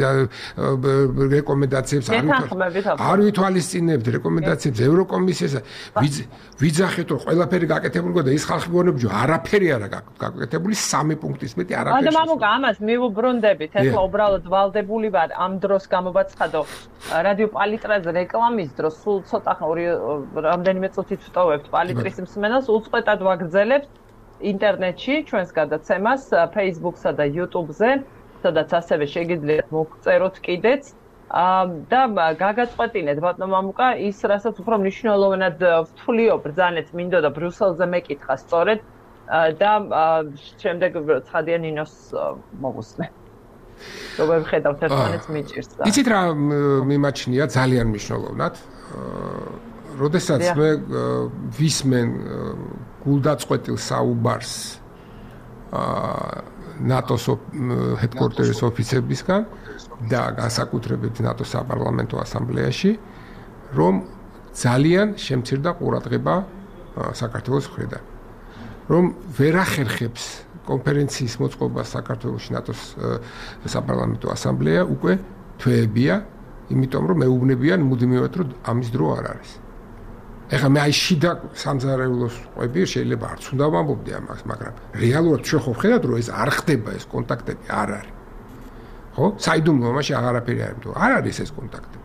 რეკომენდაციებს არ ვითვალისწინებთ რეკომენდაციებს ევროკომისიას ვიძახეთ რომ ყველაფერი გაკეთებული გქონდა ის ხალხი გონებჯო არაფერი არა გაკეთებული სამი პუნქტის მეტი არაფერი და მამუკა ამას მივუბრუნდებით ეხლა უბრალოდ ვალდებული ვარ ამ დროს გამოვაცხადო რადიო პალიტრაზე რეკლამის დროს სულ ცოტა ორი რამდენიმე წუთით ვტოვებთ პალიტრის მსმენელს უწყვეტად ვაგრძელებთ ინტერნეტში ჩვენს გადაცემას Facebook-სა და YouTube-ზე სადაც ასევე შეგიძლიათ მოგწეროთ კიდეც და გაგაწყვეტინეთ ბატონო მამუკა ის რასაც უფრო მნიშვნელოვნად ვთვლიო ბრძანეთ მინდოდა ბრიუსელზე მეკითხა სწორედ და შემდეგ ცხადია ნინოს მოგუსმე როგორ ხედავთ ერთმანეთს მიჭირს და იცით რა მიმაჩნია ძალიან მნიშვნელოვნად როდესაც მე ვისმენ გულდაწყვეტილ საუბარს ნატოს ჰედკვარტერის ოფიცერებისგან და განსაკუთრებით ნატოს საპარლამენტო ასამბლეაში რომ ძალიან შემცირდა ყურადღება საქართველოს მხრიდან რომ ვერ ახერხებს კონფერენციის მოწყობას საქართველოში ნატოს საპარლამენტო ასამბლეა უკვე თვეებია იმიტომ რომ მეუბნებიან მუდმივად რომ ამის დრო არ არის ეხლა მე აი შიდა სამზარეულოს ყვები შეიძლება არც უნდა ვამბობდი ამას მაგრამ რეალურად ჩვენ ხო ვხედავთ რომ ეს არ ხდება ეს კონტაქტები არ არის ხო საიდუმლო მაშინ აღარაფერი არ იმიტომ არ არის ეს კონტაქტები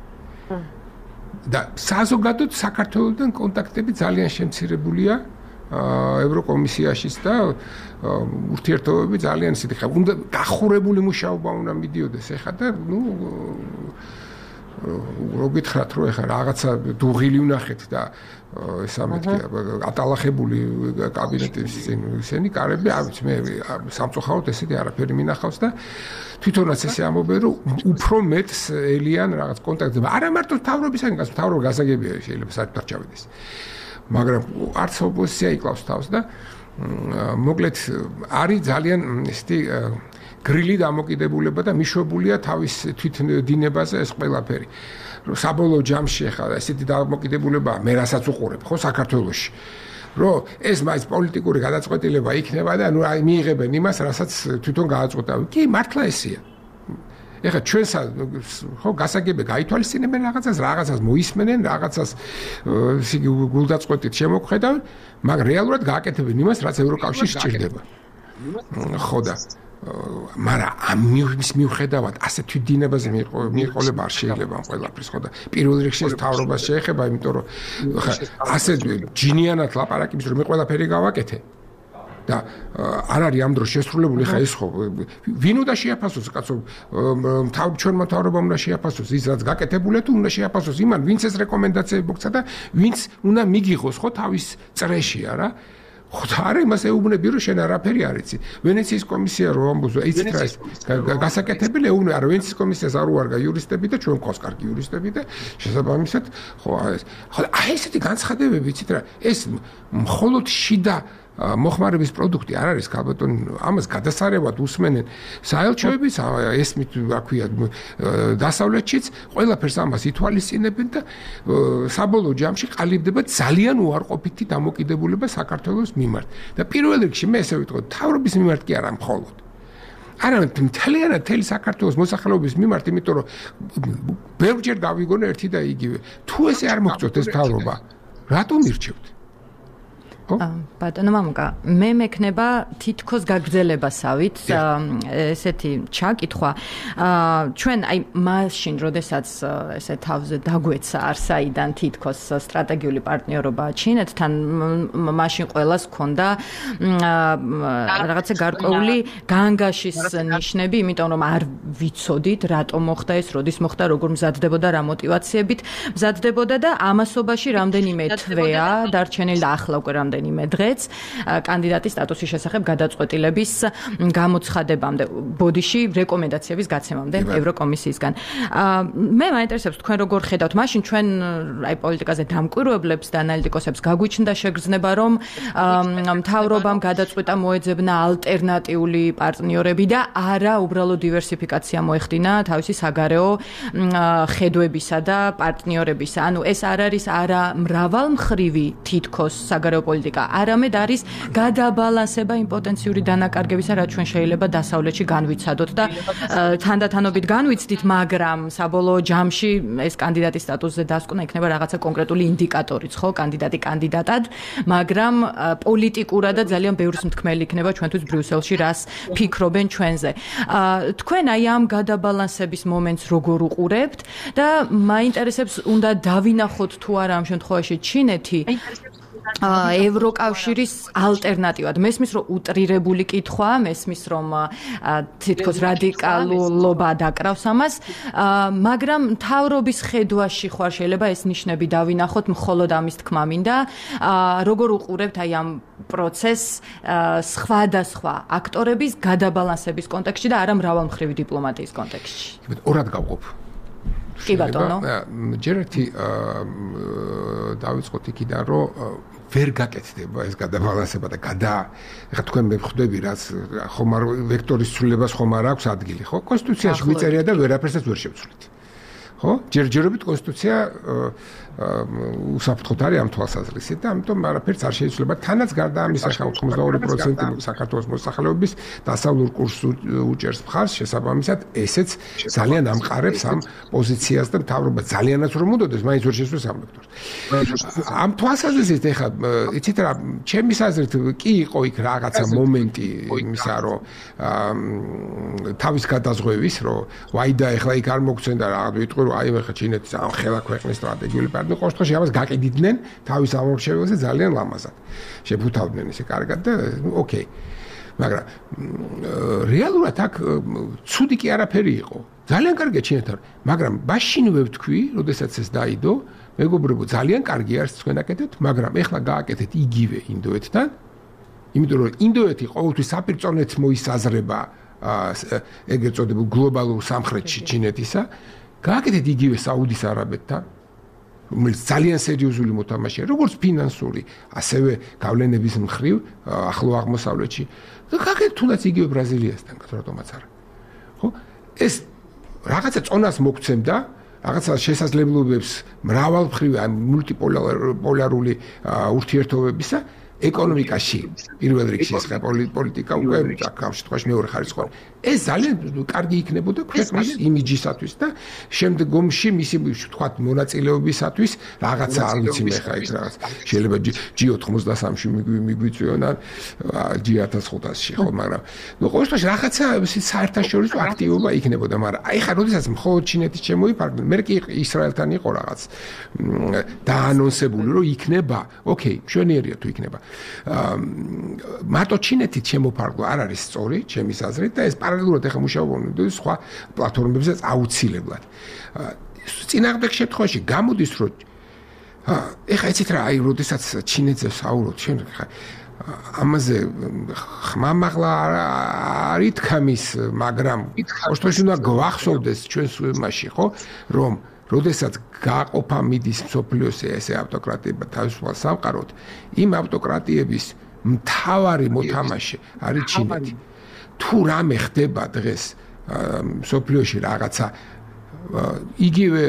და საზოგადოდ საქართველოსთან კონტაქტები ძალიან შემცირებულია ევროკომისიაშიც და ურთიერთობები ძალიან ისეთი ხა უნდა გახურებული მუშაობა უნდა მიდიოდეს ეხლა და ნუ რო გითხრათ რომ ეხლა რაღაცა დუღილი ვნახეთ და ესა მეთქია ატალახებული კაბინეტის ისენი კარები არ ვიცი მე სამწუხაროდ ესეთი არაფერი მინახავს და თვითონაც ესე ამბობენ რომ უფრო მეტს ელიან რაღაც კონტაქტები არა მარტო თავრობისგან გას თავრობა გასაგებია შეიძლება საერთოდ არ ჩავიდეს მაგრამ არც ოპოზიცია იკლავს თავს და მოკლედ არის ძალიან ისეთი გრილი დამოკიდებულება და მიშვებულია თავის თვითდინებაზე ეს ყველაფერი. საბოლოო ჯამში ახლა ესეთი დამოკიდებულება მე რასაც უყურებ ხო საქართველოში. რომ ეს მაინც პოლიტიკური გადაწყვეტილება იქნება და ნუ აი მიიღებენ იმას, რასაც თვითონ გააწყვეტა. კი, მართლა ესეა. ეხლა ჩვენს ხო გასაგები გაითვალისწინებენ რაღაცას, რაღაცას მოისმენენ, რაღაცას ისე გულდაწყვეტით შემოგხედავენ, მაგრამ რეალურად გააკეთებენ იმას, რაც ევროკავშირს სჭირდება. ხო და მაგრამ ამ მიუხედავად ასეთ თვითდინებაზე მიყოლება არ შეიძლება ამ ყველაფრის ხო და პირველ რიგში ეს თავრობას შეეხება, იმიტომ რომ ხა ასე ჯინიანად ლაპარაკობს რომ მე ყველაფერი გავაკეთე და არ არის ამ დროს შესრულებული ხა ეს ხო ვინ უნდა შეაფასოს კაცო თავ ჩვენმა თავრობამ უნდა შეაფასოს ის რაც გაკეთებულია თუ უნდა შეაფასოს იმან ვინც ეს რეკომენდაციები მოგცა და ვინც უნდა მიგიღოს ხო თავის წრეში არა ხო და არა იმას ეუბნები რომ შენ არაფერი არ იცი ვენეციის კომისია რო ამბობს იცით რა ის გასაკეთებელი ეუბნება არა ვენეციის კომისიას არ უარგა იურისტები და ჩვენ ყავს კარგი იურისტები და შესაბამისად ხო ეს ხო აი ესეთი განცხადებები იცით რა ეს მხოლოდ შიდა მოხმარების პროდუქტი არ არის ქალბატონ ამას გადასარევად უსმენენ საელჩოების ესმით რა ქვია დასავლეთშიც ყველაფერს ამას ითვალისწინებენ და საბოლოო ჯამში ყალიბდება ძალიან უარყოფითი დამოკიდებულება საქართველოს მიმართ და პირველ რიგში მე ესე ვიტყოდ თავრობის მიმართ კი არა მხოლოდ არამედ მთლიანად მთელი საქართველოს მოსახლეობის მიმართ იმიტომ რომ ბევრჯერ გავიგონე ერთი და იგივე თუ ესე არ მოგწოთ ეს თავრობა რატომ ირჩევთ ბატონო მამუკა მე მექნება თითქოს გაგრძელებასავით ესეთი ჩაკითხვა ჩვენ აი მაშინ როდესაც ესე თავზე დაგვეცა არსაიდან თითქოს სტრატეგიული პარტნიორობა ჩინეთთან მაშინ ყველას ჰქონდა რაღაცა გარკვეული განგაშის ნიშნები იმიტომ რომ არ ვიცოდით რატომ მოხდა ეს როდის მოხდა როგორ მზადდებოდა რა მოტივაციებით მზადდებოდა და ამასობაში რამდენიმე თვეა დარჩენილი და ახლა უკვე რამდენიმე მე დღეც კანდიდატის სტატუსის შესახებ გადაწყვეტილების გამოცხადებამდე ბოდიში რეკომენდაციების გაცემამდე ევროკომისიისგან. მე მაინტერესებს თქვენ როგორ ხედავთ მაშინ ჩვენ აი პოლიტიკაზე დამკვირვებლებს და ანალიტიკოსებს გაგვიჩნდა შეგრძნება რომ მთავრობამ გადაწყვეტა მოეძებნა ალტერნატიული პარტნიორები და არა უბრალოდ დივერსიფიკაცია მოეხდინა თავისი საგარეო ხედვებისა და პარტნიორებისა. ანუ ეს არ არის არა მრავალმხრივი თითქოს საგარეო პოლიტიკა, არამედ არის გადაბალანსება იმ პოტენციური დანაკარგებისა, რაც ჩვენ შეიძლება დასავლეთში განვიცადოთ და თანდათანობით განვიცდით, მაგრამ საბოლოო ჯამში ეს კანდიდატის სტატუსზე დასკვნა იქნება რაღაცა კონკრეტული ინდიკატორიც, ხო, კანდიდატი კანდიდატად, მაგრამ პოლიტიკურადაც ძალიან ბევრს მთქმელი იქნება ჩვენთვის ბრიუსელში რას ფიქრობენ ჩვენზე. თქვენ აი ამ გადაბალანსების მომენტს როგორ უყურებთ და მაინტერესებს უნდა დავინახოთ თუ არა ამ შემთხვევაში ჩინეთი ევროკავშირის ალტერნატივად. მესმის რომ უტრირებული კითხვაა, მესმის რომ თითქოს რადიკალულობა დაკრავს ამას, მაგრამ მთავრობის ხედვაში ხარ შეიძლება ეს ნიშნები დავინახოთ, მხოლოდ ამის თქმა მინდა. როგორ უყურებთ აი ამ პროცესს სხვადასხვა აქტორების გადაბალანსების კონტექსტში და არა მრავალმხრივი დიპლომატიის კონტექსტში? ორად გავყოფ. კი ბატონო. ჯერ ერთი დავიწყოთ იქიდან, რომ ვერ გაკეთდება ეს გადაბალანსება და გადა ეხლა თქვენ მე ხვდები რაც ხომ არ ვექტორის ცვლილებას ხომ არ აქვს ადგილი, ხო? კონსტიტუციაში მიწერია და ვერაფერსაც ვერ შევცვლით. ხო? ჯერჯერობით კონსტიტუცია უსაფრთხოდ არის ამ თვალსაზრისით და ამიტომ არაფერს არ შეიცვლება. თანაც გარდა ამისა, ოცდაორი პროცენტი საქართველოს მოსახლეობის დასავლურ კურსს უჭერს მხარს, შესაბამისად, ესეც ძალიან ამყარებს ამ პოზიციას და მთავრობა ძალიანაც რომ უნდოდეს, მაინც ვერ შესვეს ამ ვექტორს. ამ თვალსაზრისით ეხლა იცით რა, ჩემი აზრით კი იყო იქ რაღაცა მომენტი იმისა, რომ თავის გადაზღვევის, რომ ვაიდა ეხლა იქ არ მოგცემდა რაღაც ვიტყვი, რომ აი ეხლა ჩინეთის ამ ხელა ქვეყნის სტრატეგიული პარტნიორი ყოველ შემთხვევაში ამას გაკიდიდნენ თავის ამორჩეველზე ძალიან ლამაზად. შეფუთავდნენ ესე კარგად და ოკეი. მაგრამ რეალურად აქ ცუდი კი არაფერი იყო. ძალიან კარგია ჩინეთთან, მაგრამ მაშინვე ვთქვი, როდესაც ეს დაიდო, მეგობრებო, ძალიან კარგი არის თქვენ აკეთებთ, მაგრამ ეხლა გააკეთეთ იგივე ინდოეთთან. იმიტომ რომ ინდოეთი ყოველთვის საპირწონეთ მოისაზრება ეგრეთ წოდებულ გლობალურ სამხრეთში ჩინეთისა. გააკეთეთ იგივე საუდის არაბეთთან, რომელიც ძალიან სერიოზული მოთამაშეა, როგორც ფინანსური, ასევე გავლენების მხრივ ახლო აღმოსავლეთში. და გააკეთეთ თუნდაც იგივე ბრაზილიასთან, რატომაც არა. ხო? ეს რაღაცა წონას მოგცემდა, რაღაცა შესაძლებლობებს მრავალმხრივი ან მულტიპოლარული ურთიერთობებისა ეკონომიკაში პირველ რიგში ეს პოლიტიკა უკვე ამ შემთხვევაში მეორე ხარისხოვანი. ეს ძალიან კარგი იქნებოდა ქვეყნის იმიჯისათვის და შემდგომში მისი ვთქვათ მონაწილეობისათვის რაღაცა არ ვიცი მე ხა ის რაღაც შეიძლება ჯი ოთხმოცდასამში მიგვიწვიონ ან ჯი ათას ხუთასში ხო მაგრამ ნუ ყოველ შემთხვევაში რაღაცა საერთაშორისო აქტივობა იქნებოდა მაგრამ აი ხა როდესაც მხოლოდ ჩინეთის შემოიფარგლენ მე კი ისრაელთან იყო რაღაც დაანონსებული რომ იქნება ოკეი მშვენიერია თუ იქნება მარტო ჩინეთით შემოფარგლა არ არის სწორი ჩემის აზრით და ეს პარალელურად ახლა მუშაობენ სხვა პლატფორმებზეც აუცილებლად. წინააღმდეგ შემთხვევაში გამოდის რომ ეხლა იცით რა აი როდესაც ჩინეთზე საუბრობთ შენ ხა ამაზე ხმამაღლა არ ითქმის მაგრამ ოშთოში უნდა გვახსოვდეს ჩვენს იმაში ხო რომ როდესაც გააყოფა მიდის მსოფლიოს ესე ავტოკრატიება თავისუფალ სამყაროდ იმ ავტოკრატიების მთავარი მოთამაშე არის ჩინეთი. თუ რამე ხდება დღეს მსოფლიოში რაღაცა იგივე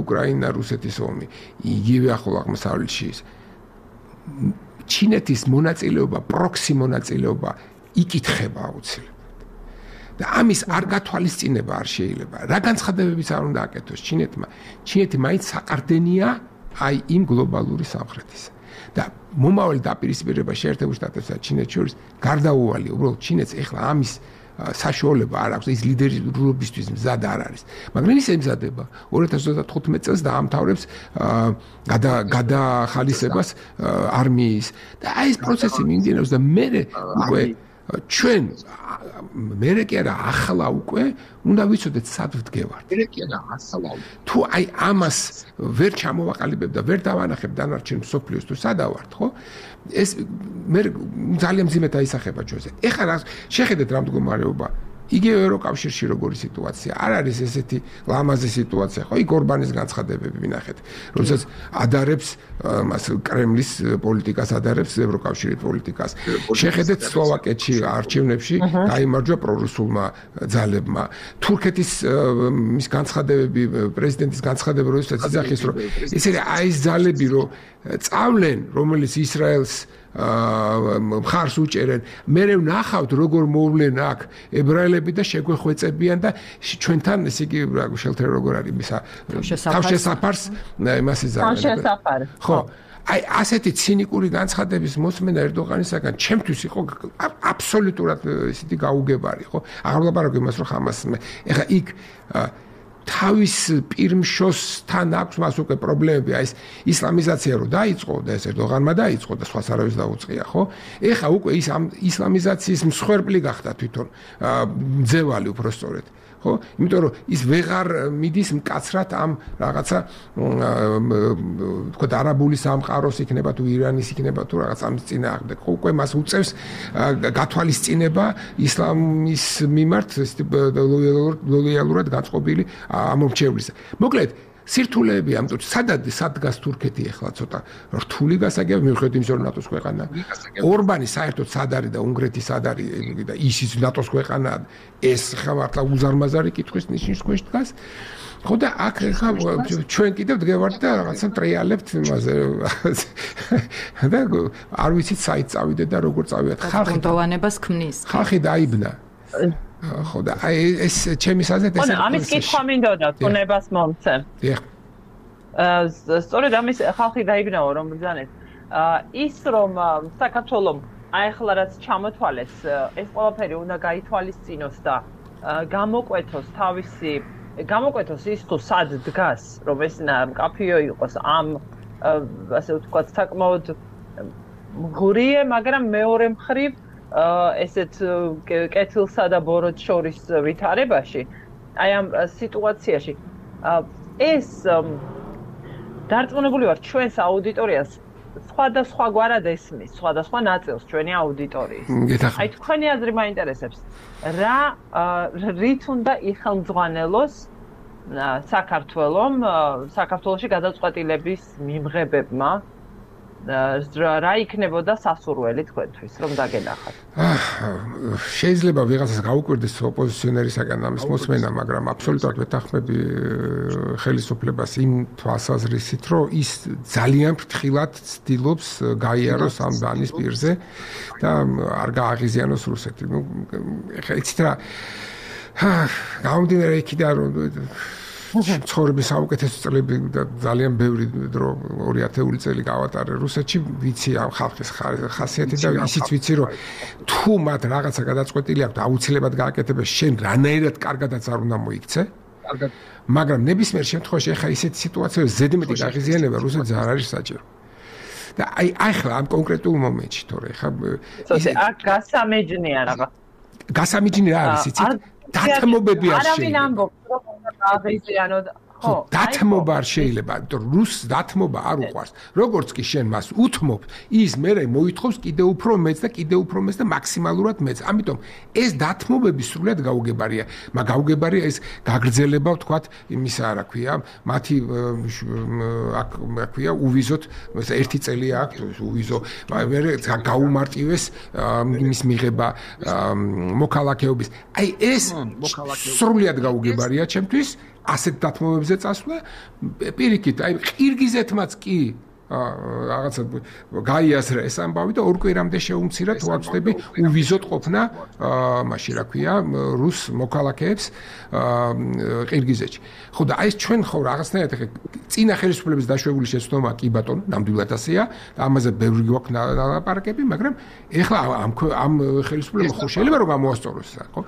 უკრაინა რუსეთის ომი იგივე ახლო აღმოსავლეთში ჩინეთის მონაწილეობა პროქსი მონაწილეობა იკითხება აუცილებლად და ამის არ გათვალისწინება არ შეიძლება რა განცხადებებიც არ უნდა აკეთოს ჩინეთმა ჩინეთი მაინც საყრდენია აი იმ გლობალური სამხრეთის და მომავალი დაპირისპირება შეერთებულ შტატებსა და ჩინეთს შორის გარდაუვალია უბრალოდ ჩინეთს ეხლა ამის საშუალება არ აქვს ის ლიდერობისთვის მზად არ არის მაგრამ ის ემზადება ორი ათას ოცდათხუთმეტი წელს დაამთავრებს გადახალისებას არმიის და აი ეს პროცესი მიმდინარეობს და მე უკვე ჩვენ მე კი არა ახლა უკვე უნდა ვიცოდეთ სად ვდგევართ მე კი არა ახლა თუ აი ამას ვერ ჩამოვაყალიბებ და ვერ დავანახებ დანარჩენ მსოფლიოს თუ სადავართ ხო ეს მე ძალიან მძიმედ აისახება ჩვენზე ეხლა რა შეხედეთ რა მდგომარეობა იგივე ევროკავშირში როგორი სიტუაცია არ არის ესეთი ლამაზი სიტუაცია ხო იქ ორბანის განცხადებები ვინახეთ როდესაც ადარებს მას კრემლის პოლიტიკას ადარებს ევროკავშირის პოლიტიკას შეხედეთ სლოვაკეთში არჩევნებში გაიმარჯვა პრორუსულმა ძალებმა თურქეთის მის განცხადებები პრეზიდენტის განცხადებები როდესაც იძახის რომ ესე აი ეს ძალები რომ წავლენ რომელიც ისრაელს მხარს უჭერენ. მე ვნახავთ როგორ მოვლენ აქ ებრაელები და შეგვეხვეწებიან და ჩვენთან ესე იგი შელთერ როგორ არის მისა თავშესაფარს იმას იზარდა. თავშესაფარი. ხო. აი ასეთი ცინიკური განცხადების მოსმენა ერდოღანისაგან ჩემთვის იყო აბსოლუტურად ისეთი გაუგებარი, ხო? აღარ ვლაპარაკობ იმას, რომ ხამას ეხა იქ თავის პირმშოსთან აქვს მას უკვე პრობლემები, აი ეს ისლამიზაცია რო დაიწყო და ეს ერდოღანმა დაიწყო და სხვას არავის დაუწყია, ხო? ეხა უკვე ის ამ ისლამიზაციის მსხვერპლი გახდა თვითონ ძევალი უბრალოდ. ხო? იმიტომ რომ ის ვეღარ მიდის მკაცრად ამ რაღაცა თქო არაბული სამყაროს იქნება თუ ირანის იქნება თუ რაღაც ამ წინააღმდეგ. ხო, უკვე მას უწევს გათვალისწინება ისლამის მიმართ ლოიალურად გაწყობილი ამორჩევლისა. მოკლედ სირთულეები ამ თუთ სადად სადგას თურქეთი ახლა ცოტა რთული გასაგებია მიუხედავად იმისა რომ ნატოს ქვეყანა ორბანი საერთოდ სად არის და უნგრეთი სად არის და ისიც ნატოს ქვეყანაა ეს ხა მართლა უზარმაზარი კითხვის ნიშნის ქვეშ დგას ხო და აქ ხა ჩვენ კიდევ დგევართ და რაღაცა ტრიალებთ იმაზე და არ ვიცით საით წავიდეთ და როგორ წავიდეთ ხალხი დოვანებას ქმნის ხალხი დაიბნა ხო და აი ეს ჩემი საზეთ ეს ამის კითხვა მინდოდა თუნებას მომცემ. დიახ. აა სწორედ ამის ხალხი დაიბნაო რომ ბრძანეთ. აა ის რომ საქართველოს აი ახლა რაც ჩამოთვალეს ეს ყველაფერი უნდა გაითვალისწინოს და გამოკვეთოს თავისი გამოკვეთოს ის თუ სად დგას რომ ეს მკაფიო იყოს ამ ასე ვთქვათ საკმაოდ მღურიე მაგრამ მეორე მხრივ ესეთ კეთილსა და ბოროტს შორის ვითარებაში აი ამ სიტუაციაში ეს დარწმუნებული ვარ ჩვენს აუდიტორიას სხვადასხვა გვარად ესმის სხვადასხვა ნაწილს ჩვენი აუდიტორიის აი თქვენი აზრი მაინტერესებს რა რით უნდა იხელმძღვანელოს საქართველოს საქართველოში გადაწყვეტილების მიმღებებმა რა იქნებოდა სასურველი თქვენთვის რომ დაგენახათ. შეიძლება ვიღაცას გაუკვირდეს ოპოზიციონერისაგან ამის მოსმენა, მაგრამ აბსოლუტურად ვეთანხმები ხელისუფლებას იმ თვალსაზრისით, რომ ის ძალიან ფრთხილად ცდილობს გაიაროს ამ ბანის პირზე და არ გააღიზიანოს რუსეთი. ნუ ეხლა იცით რა გამომდინარე იქიდან რომ ცხოვრების საუკეთესო წლები და ძალიან ბევრი დრო ორი ათეული წელი გავატარე რუსეთში, ვიცი ამ ხალხის ხასიათი და ისიც ვიცი რომ თუ მათ რაღაცა გადაწყვეტილი აქვს აუცილებლად გააკეთებენ, შენ რანაირად კარგადაც არ უნდა მოიქცე. მაგრამ ნებისმიერ შემთხვევაში ახლა ისეთი სიტუაციაა ზედმეტი გაღიზიანება რუსეთს არ არის საჭირო. და აი ახლა ამ კონკრეტულ მომენტში თორე ახლა ისე აქ გასამეჯნია რაღაც. გასამეჯნი რა არის იცით? დათმობები არ შეიძლება. არავინ ამბობს რომ აღიზიანოთ ხო დათმობა არ შეიძლება, იმიტომ რუსს დათმობა არ უყვარს. როგორც კი შენ მას უთმობ, ის მერე მოითხოვს კიდევ უფრო მეც და კიდევ უფრო მეც და მაქსიმალურად მეც. ამიტომ ეს დათმობები სრულად გაუგებარია. მაგრამ გაუგებარია ეს გაგრძელება, ვთქვათ, იმისა რა ქვია, მათი აქ რა ქვია, უვიზოთ ერთი წელი აქვს უვიზო, მერე გაუმარტივეს იმის მიღება მოქალაქეობის. აი ეს სრულად გაუგებარია ჩემთვის. ასეთ დათმობებზე წასვლა პირიქით აი ყირგიზეთმაც კი რაღაცა გაიაზრა ეს ამბავი და ორ კვირამდე შეუმცირა თუ ვაცდები უვიზოთ ყოფნა მაშინ რა ქვია რუს მოქალაქეებს ყირგიზეთში. ხო და აი ეს ჩვენ ხო რაღაცნაირად ხე წინა ხელისუფლების დაშვებული შეცდომა კი ბატონო ნამდვილად ასეა და ამაზე ბევრი გვაქვს ლაპარაკები, მაგრამ ეხლა ამ ამ ხელისუფლებამ ხო შეიძლება რომ გამოასწოროს ეს ხო?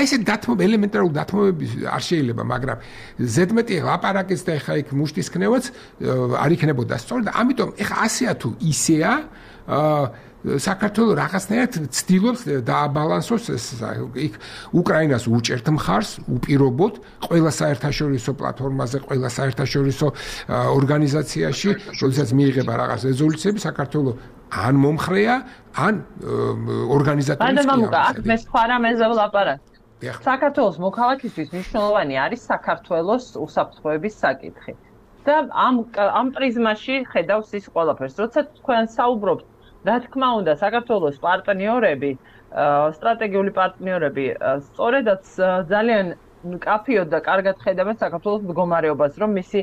აი ესე დათმობა ელემენტარული დათმობები არ შეიძლება, მაგრამ ზედმეტი ლაპარაკის და ეხლა იქ მუშტის ქნევაც არ იქნებოდა სწორად და ამიტომ ეხლა ასეა თუ ისეა საქართველოს რაღაცნაირად ცდილობს დააბალანსოს ეს იქ უკრაინას უჭერთ მხარს უპირობოდ ყველა საერთაშორისო პლატფორმაზე, ყველა საერთაშორისო ორგანიზაციაში, როდესაც მიიღება რაღაც რეზოლუციები, საქართველოს ან მომხრეა, ან ორგანიზატორიც კი არა. აქ მე სხვა რამეზე ვლაპარაკ. საქართველოს მოქალაქისთვის მნიშვნელოვანი არის საქართველოს უსაფრთხოების საკითხი. და ამ ამ პრიზმაში ხედავს ის ყველაფერს. როცა თქვენ საუბრობთ, რა თქმა უნდა, საქართველოს პარტნიორები, სტრატეგიული პარტნიორები, სწორედაც ძალიან კაფიოდ და კარგად ხედავენ საქართველოს მდგომარეობას, რომ მისი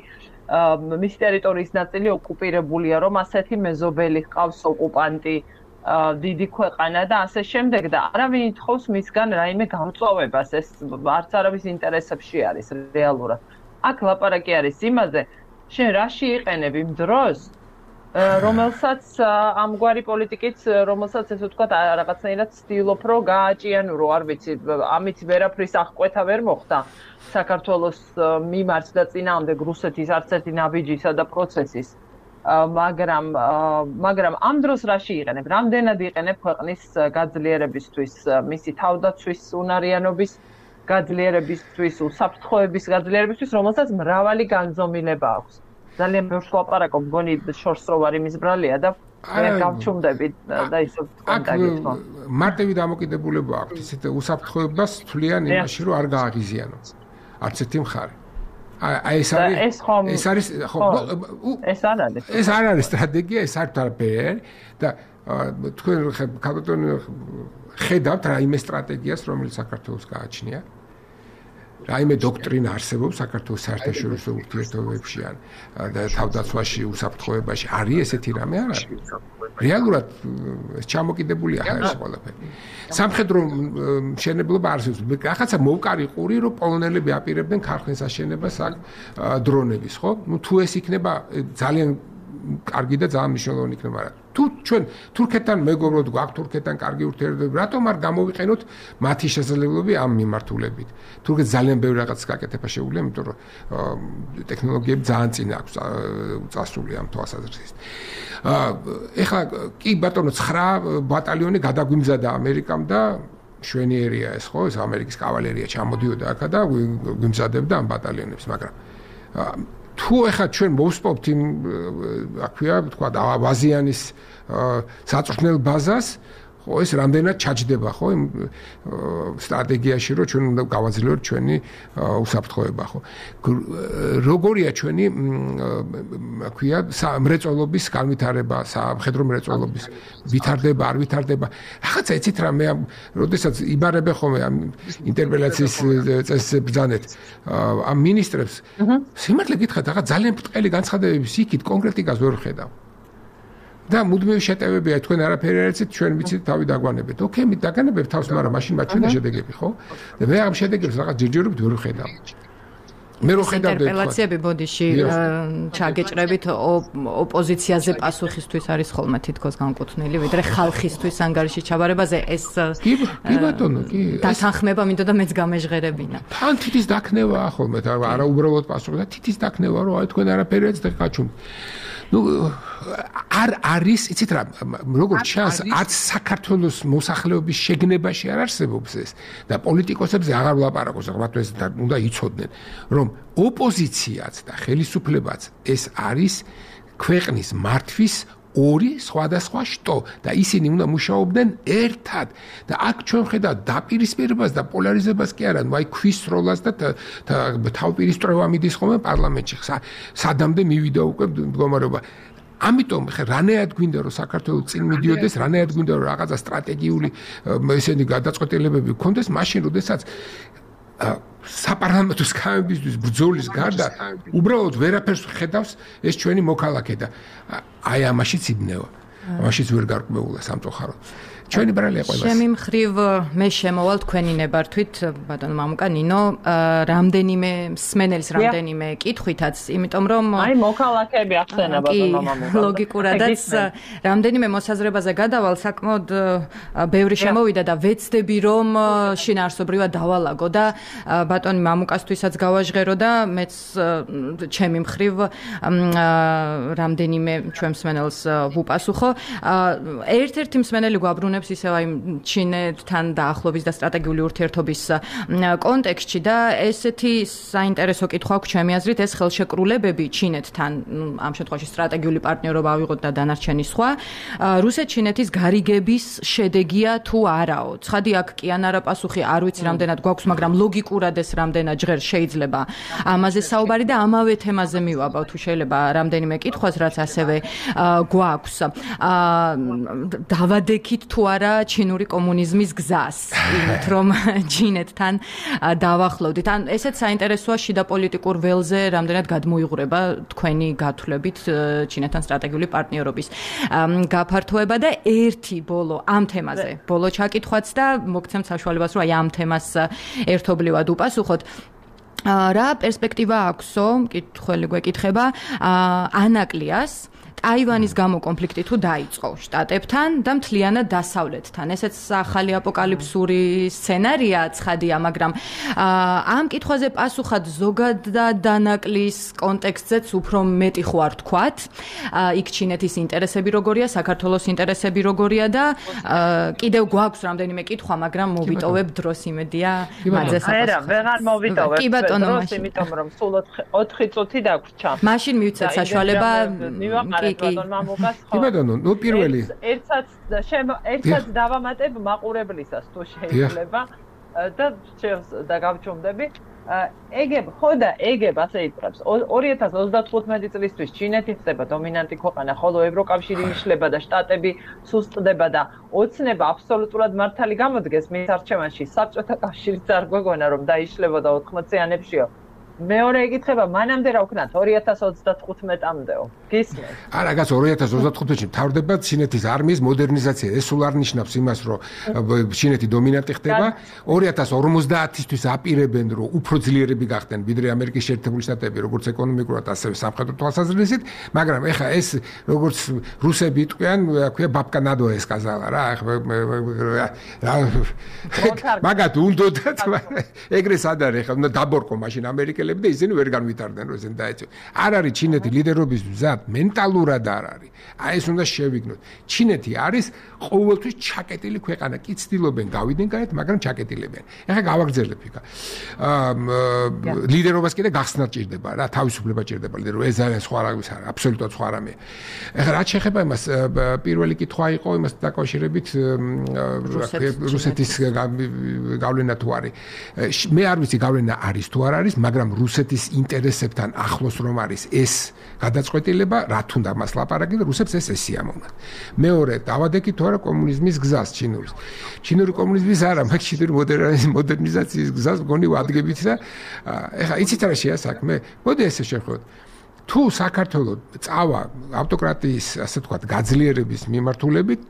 მისი ტერიტორიის ნაწილი ოკუპირებულია, რომ ასეთი მეზობელი ჰყავს ოკუპანტი, დიდი ქვეყანა და ასე შემდეგ და არავინ ითხოვს მისგან რაიმე გამწვავებას, ეს არც არავის ინტერესებში არის რეალურად. აქ ლაპარაკი არის იმაზე, შენ რაში იყენებ იმ დროს, რომელსაც ამგვარი პოლიტიკით, რომელსაც ესე ვთქვათ, რაღაცნაირად ცდილობ, რომ გააჭიანურო, არ ვიცი, ამით ვერაფრის აღკვეთა ვერ მოხდა საქართველოს მიმართ და წინააღმდეგ რუსეთის არც ერთი ნაბიჯისა და პროცესის. მაგრამ მაგრამ ამ დროს რაში იყენებ? რამდენად იყენებ ქვეყნის გაძლიერებისთვის, მისი თავდაცვის უნარიანობის გაძლიერებისთვის, უსაფრთხოების გაძლიერებისთვის, რომელსაც მრავალი განზომილება აქვს. ძალიან ბევრს ლაპარაკობ, მგონი შორს რო ვარ იმის ბრალია და მე გავჩუმდები და ისე კონტაქტი. მარტივი დამოკიდებულება აქვს, ისეთ უსაფრთხოებას თვლიან იმაში, რომ არ გააღიზიანო. არც ერთი მხარე. აი ეს არის ეს არის ხო ეს არ არის ეს არ არის სტრატეგია, ეს არ თარბერ და თქვენ კაპიტონი ხედავთ რაიმე სტრატეგიას, რომელიც საქართველოს გააჩნია. რაიმე დოქტრინა არსებობს საქართველოს საერთაშორისო ურთიერთობებში ან და თავდაცვაში, უსაფრთხოებაში. არის ესეთი რამე არ არის? რეალურად ეს ჩამოკიდებულია ხარ ყველაფერი. სამხედრო მშენებლობა არსებობს. რაღაცა მოვკარი ყური, რომ პოლონელები აპირებდნენ ქარხნის აშენებას აქ დრონების, ხო? ნუ თუ ეს იქნება ძალიან კარგი და ძალიან მნიშვნელოვანი იქნება, მაგრამ თუ ჩვენ თურქეთთან მეგობრობთ, გვაქვს თურქეთთან კარგი ურთიერთობები, რატომ არ გამოვიყენოთ მათი შესაძლებლობები ამ მიმართულებით? თურქეთს ძალიან ბევრი რაღაც გაკეთება შეუძლია, იმიტომ რომ ტექნოლოგიები ძალიან წინ აქვს წასული ამ თვალსაზრისით. ეხლა კი ბატონო ცხრა ბატალიონი გადაგვიმზადა ამერიკამ და შვენიერია ეს ხო, ეს ამერიკის კავალერია ჩამოდიოდა აქ და გვიმზადებდა ამ ბატალიონებს, მაგრამ თუ ეხლა ჩვენ მოვსპობთ იმ აქვია თქვა ვაზიანის საწვრთნელ ბაზას, ხო ეს რამდენად ჩაჯდება ხო იმ სტრატეგიაში, რომ ჩვენ უნდა გავაძლიეროთ ჩვენი უსაფრთხოება, ხო როგორია ჩვენი აქვია მრეწველობის განვითარება, სამხედრო მრეწველობის ვითარდება, არ ვითარდება, რაღაცა იცით რა, მე როდესაც იბარებე ხოლმე ამ ინტერპელაციის წესს ბრძანეთ ამ მინისტრებს, სიმართლე გითხრათ, რაღაც ძალიან ბრტყელი განცხადებების იქით კონკრეტიკას ვერ ხედავ. და მუდმივი შეტევებია, თქვენ არაფერი არ იცით, ჩვენ ვიცით თავი დაგვანებეთ. ოკეი, მე დაგანებებ თავს, მაგრამ მაშინ მათ ჩვენ შედეგები, ხო? და მე ამ შედეგებს რაღაც ჯერჯერობით ვერ ვხედავ. მე რო ხედავ და ინტერპელაციები ბოდიში ჩაგეჭრებით ოპოზიციაზე პასუხისთვის არის ხოლმე თითქოს განკუთვნილი, ვიდრე ხალხისთვის ანგარიში ჩაბარებაზე ეს კი ბატონო, კი. დათანხმება მინდოდა მეც გამეჟღერებინა. თან თითის დაქნევა ხოლმე, არა უბრალოდ პასუხი და თითის დაქნევა, რომ აი თქვენ არაფერი არ იცით, გაჩუმთ. ნუ არ არის, იცით რა, როგორც ჩანს, არც საქართველოს მოსახლეობის შეგნებაში არ არსებობს ეს და პოლიტიკოსებზე აღარ ვლაპარაკობს, ალბათ ეს უნდა იცოდნენ, რომ ოპოზიციაც და ხელისუფლებაც ეს არის ქვეყნის მართვის ორი სხვადასხვა შტო და ისინი უნდა მუშაობდნენ ერთად და აქ ჩვენ ხედავთ დაპირისპირებას და პოლარიზებას კი არა, აი ქვის როლას და თავპირისტრევა მიდის ხოლმე პარლამენტში. სადამდე მივიდა უკვე მდგომარეობა. ამიტომ ხე რანაირად გვინდა რომ საქართველოს წინ მიდიოდეს, რანაირად გვინდა რომ რაღაცა სტრატეგიული ესენი გადაწყვეტილებები გქონდეს, მაშინ როდესაც საპარლამენტო სქამებისთვის ბრძოლის გარდა უბრალოდ ვერაფერს ხედავს ეს ჩვენი მოქალაქე და აი ამაშიც იბნევა. ამაშიც ვერ გარკვეულა სამწუხაროდ. ჩვენი ბრალია ყველას. ჩემი მხრივ მე შემოვალ თქვენი ნებართვით, ბატონო მამუკა ნინო, რამდენიმე სმენელის რამდენიმე კითხვითაც, იმიტომ რომ აი მოქალაქეები ახსენა ბატონო მამუკა. ლოგიკურადაც რამდენიმე მოსაზრებაზე გადავალ, საკმაოდ ბევრი შემოვიდა და ვეცდები რომ შინაარსობრივად დავალაგო და ბატონი მამუკასთვისაც გავაჟღერო და მეც ჩემი მხრივ რამდენიმე ჩვენ მსმენელს ვუპასუხო. ერთ-ერთი მსმენელი გვაბრუნებს ისევ აი ჩინეთთან დაახლოების და სტრატეგიული ურთიერთობის კონტექსტში და ესეთი საინტერესო კითხვა აქვს ჩემი აზრით, ეს ხელშეკრულებები ჩინეთთან, ამ შემთხვევაში სტრატეგიული პარტნიორობა ავიღოთ და დანარჩენი სხვა, რუსეთ-ჩინეთის გარიგების შედეგია თუ არაო. ცხადი აქ კი ან არა პასუხი არ ვიცი რამდენად გვაქვს, მაგრამ ლოგიკურად ეს რამდენად ჟღერ შეიძლება ამაზე საუბარი და ამავე თემაზე მივაბავ თუ შეიძლება რამდენიმე კითხვას, რაც ასევე გვაქვს. დავადექით თუ არა ჩინური კომუნიზმის გზას, იმით რომ ჩინეთთან დავახლოვდით. ან ესეც საინტერესოა შიდა პოლიტიკურ ველზე რამდენად გადმოიღურება თქვენი გათვლებით ჩინეთთან სტრატეგიული პარტნიორობის გაფართოება და ერთი ბოლო ამ თემაზე. ბოლო ჩაკითხვაც და მოგცემთ საშუალებას რომ აი ამ თემას ერთობლივად უპასუხოთ. რა პერსპექტივა აქვსო, მკითხველი გვეკითხება, ანაკლიას ტაივანის გამო კონფლიქტი თუ დაიწყო შტატებთან და მთლიანად დასავლეთთან. ესეც ახალი აპოკალიფსური სცენარია ცხადია, მაგრამ ამ კითხვაზე პასუხად ზოგადად ანაკლის კონტექსტზეც უფრო მეტი ხო არ თქვათ. იქ ჩინეთის ინტერესები როგორია, საქართველოს ინტერესები როგორია და კიდევ გვაქვს რამდენიმე კითხვა, მაგრამ მოვიტოვებ დროს იმედია მათზე საპასუხოდ. არა, ვეღარ მოვიტოვებ. კი ბატონო, დროს იმიტომ რომ სულ ოთხი წუთი დაგვრჩა. მაშინ მივცეთ საშუალება ბატონ მამუკას ხო? კი ბატონო, ნუ პირველი ერთსაც ერთსაც დავამატებ მაყურებლისას თუ შეიძლება და და გავჩუმდები. ეგებ ხო და ეგებ ასე იწყებს. ორი ათას ოცდათხუთმეტი წლისთვის ჩინეთი ხდება დომინანტი ქვეყანა, ხოლო ევროკავშირი იშლება და შტატები სუსტდება და ოცნება აბსოლუტურად მართალი გამოდგეს მის არჩევანში. საბჭოთა კავშირიც არ გვეგონა რომ დაიშლებოდა ოთხმოციანებშიო. მეორე ეკითხება, მანამდე რა ვქნათ ორი ათას ოცდათხუთმეტამდეო. გისმენთ? არა, გას ორი ათას ოცდათხუთში მთავრდება ჩინეთის არმიის მოდერნიზაცია. ეს სულ არ ნიშნავს იმას, რომ ჩინეთი დომინანტი ხდება. ორი ათას ორმოცდაათისთვის აპირებენ, რომ უფრო ძლიერები გახდნენ ვიდრე ამერიკის შეერთებული შტატები, როგორც ეკონომიკურად, ასევე სამხედრო თვალსაზრისით, მაგრამ ეხა ეს როგორც რუსები იტყვიან, ქვია ბაბკა ნადოა ეს კაზალა რა. მაგათ უნდათ ეგრე სად არის ხა, უნდა დაბორკო მაშინ ამერიკელები და ისინი ვერ განვითარდნენ რომ ესენ დაეწევ. არ არის ჩინეთი ლიდერობის მზად, მენტალურად არ არის. აი ეს უნდა შევიგნოთ. ჩინეთი არის ყოველთვის ჩაკეტილი ქვეყანა. კი ცდილობენ გავიდნენ გარეთ, მაგრამ ჩაკეტილებენ. ეხლა გავაგრძელებ იქა. ლიდერობას კიდე გახსნა ჭირდება რა, თავისუფლება ჭირდება ლიდერობა. ეს არის სხვა რამის არა, აბსოლუტურად სხვა რამე. ეხლა რაც შეეხება იმას, პირველი კითხვა იყო იმას დაკავშირებით რუსეთის გავლენა თუ არის. მე არ ვიცი გავლენა არის თუ არ არის, მაგრამ რუსეთის ინტერესებთან ახლოს რომ არის ეს გადაწყვეტილება, რა თუნდა მას ლაპარაკი და რუსებს ეს ესიამოვნათ. მეორე, დავადეკით თუ არა კომუნიზმის გზას ჩინურის. ჩინური კომუნიზმის არა, მაგრამ ჩინური მოდერნიზაციის გზას მგონი ვადგებით და ეხლა იცით რა შეა საქმე? მოდი ესე შევხვდეთ. თუ საქართველოს წავა ავტოკრატიის, ასე ვთქვათ, გაძლიერების მიმართულებით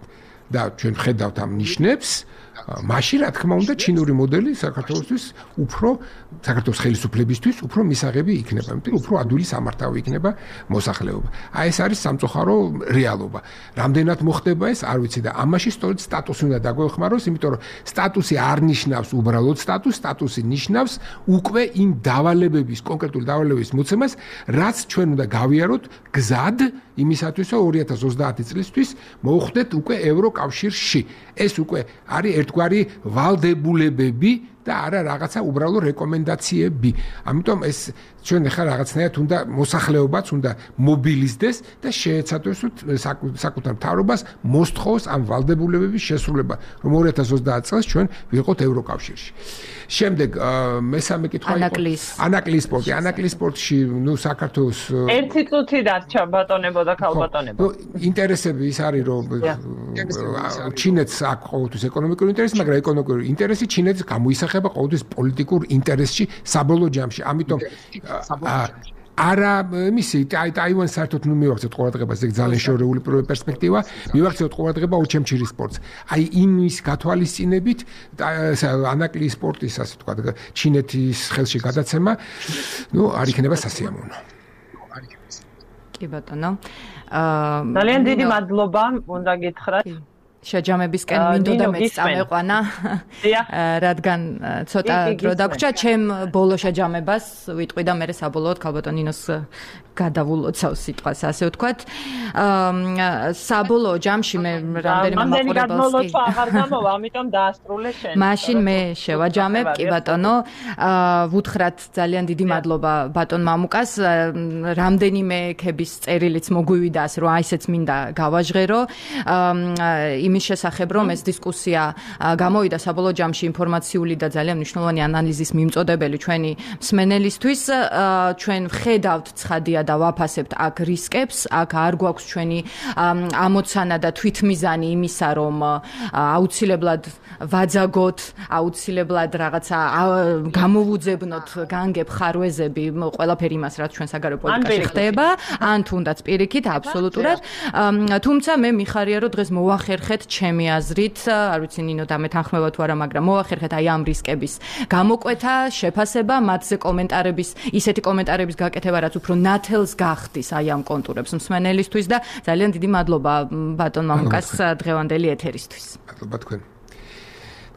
და ჩვენ ხედავთ ამ ნიშნებს, მაშინ რა თქმა უნდა ჩინური მოდელი საქართველოსთვის უფრო საქართველოს ხელისუფლებისთვის უფრო მისაღები იქნება, იმიტომ უფრო ადვილი სამართავი იქნება მოსახლეობა. აი ეს არის სამწუხარო რეალობა. რამდენად მოხდება ეს, არ ვიცი და ამაში სწორედ სტატუსი უნდა დაგვეხმაროს, იმიტომ რომ სტატუსი არ ნიშნავს უბრალოდ სტატუსს, სტატუსი ნიშნავს უკვე იმ დავალებების, კონკრეტული დავალებების მოცემას, რაც ჩვენ უნდა გავიაროთ გზად იმისათვის, რომ ორი ათას ოცდაათი წლისთვის მოვხვდეთ უკვე ევროკავშირში. ეს უკვე არის ერთგვარი ვალდებულებები და არა რაღაცა უბრალო რეკომენდაციები. ამიტომ ეს ჩვენ ახლა რაღაცნაირად უნდა მოსახლეობაც უნდა მობილიზდეს და შეეცადოს საკუთარ მთავრობას მოსთხოვს ამ ვალდებულებების შესრულება, რომ ორი ათას ოცდაათი წელს ჩვენ ვიყოთ ევროკავშირში. შემდეგ მესამე კითხვა იყო ანაკლის სპორტი. ანაკლის სპორტში ნუ საქართველოს ერთი წუთი დარჩა ბატონებო და ქალბატონებო. ნუ ინტერესები ის არის რომ ჩინეთს აქვს ყოველთვის ეკონომიკური ინტერესი, მაგრამ ეკონომიკური ინტერესი ჩინეთს გამოისახება ყოველთვის პოლიტიკურ ინტერესში საბოლოო ჯამში. ამიტომ არა მისი ტაივანს საერთოდ ნუ მივახცევთ ყურადღებას, ეგ ძალიან შეურეული პერსპექტივა, მივახცევთ ყურადღება ოჩემჩირის სპორტს. აი იმის გათვალისწინებით ანაკლის სპორტის, ასე ვთქვათ, ჩინეთის ხელში გადაცემა, ნუ არ იქნება სასიამოვნო. კი ბატონო. ძალიან დიდი მადლობა, უნდა გითხრათ. შეჯამებისკენ მინდოდა მეც წამეყვანა, რადგან ცოტა დრო დაგვრჩა, ჩემ ბოლო შეჯამებას ვიტყვი და მე საბოლოოდ ქალბატონინოს გადავულოცავ სიტყვას, ასე ვთქვათ. საბოლოო ჯამში მე რამდენიმე მაყურებელს კი აღარ გამოვა, ამიტომ დაასრულე შენ. მაშინ მე შევაჯამებ, კი ბატონო. ვუთხრათ ძალიან დიდი მადლობა ბატონ მამუკას. რამდენიმე ქების წერილიც მოგვივიდა, ასე რომ აი ესეც მინდა გავაჟღერო. იმის შესახებ, რომ ეს დისკუსია გამოვიდა საბოლოო ჯამში ინფორმაციული და ძალიან მნიშვნელოვანი ანალიზის მიმწოდებელი ჩვენი მსმენელისთვის. ჩვენ ვხედავთ ცხადია და ვაფასებთ აქ რისკებს, აქ არ გვაქვს ჩვენი ამოცანა და თვითმიზანი იმისა, რომ აუცილებლად ვაძაგოთ, აუცილებლად რაღაცა გამოვუძებნოთ, განგებ ხარვეზები, ყველაფერი იმას, რაც ჩვენ საგარეო პოლიტიკაში ხდება, ან თუნდაც პირიქით, აბსოლუტურად. თუმცა მე მიხარია, რომ დღეს მოვახერხეთ ჩემი აზრით, არ ვიცი ნინო დამეთანხმება თუ არა, მაგრამ მოვახერხეთ აი ამ რისკების გამოკვეთა, შეფასება, მათზე კომენტარების, ისეთი კომენტარების გაკეთება, რაც უფრო ნათელს გახდის აი ამ კონტურებს მსმენელისთვის და ძალიან დიდი მადლობა ბატონ მამუკას დღევანდელი ეთერისთვის. მადლობა თქვენ.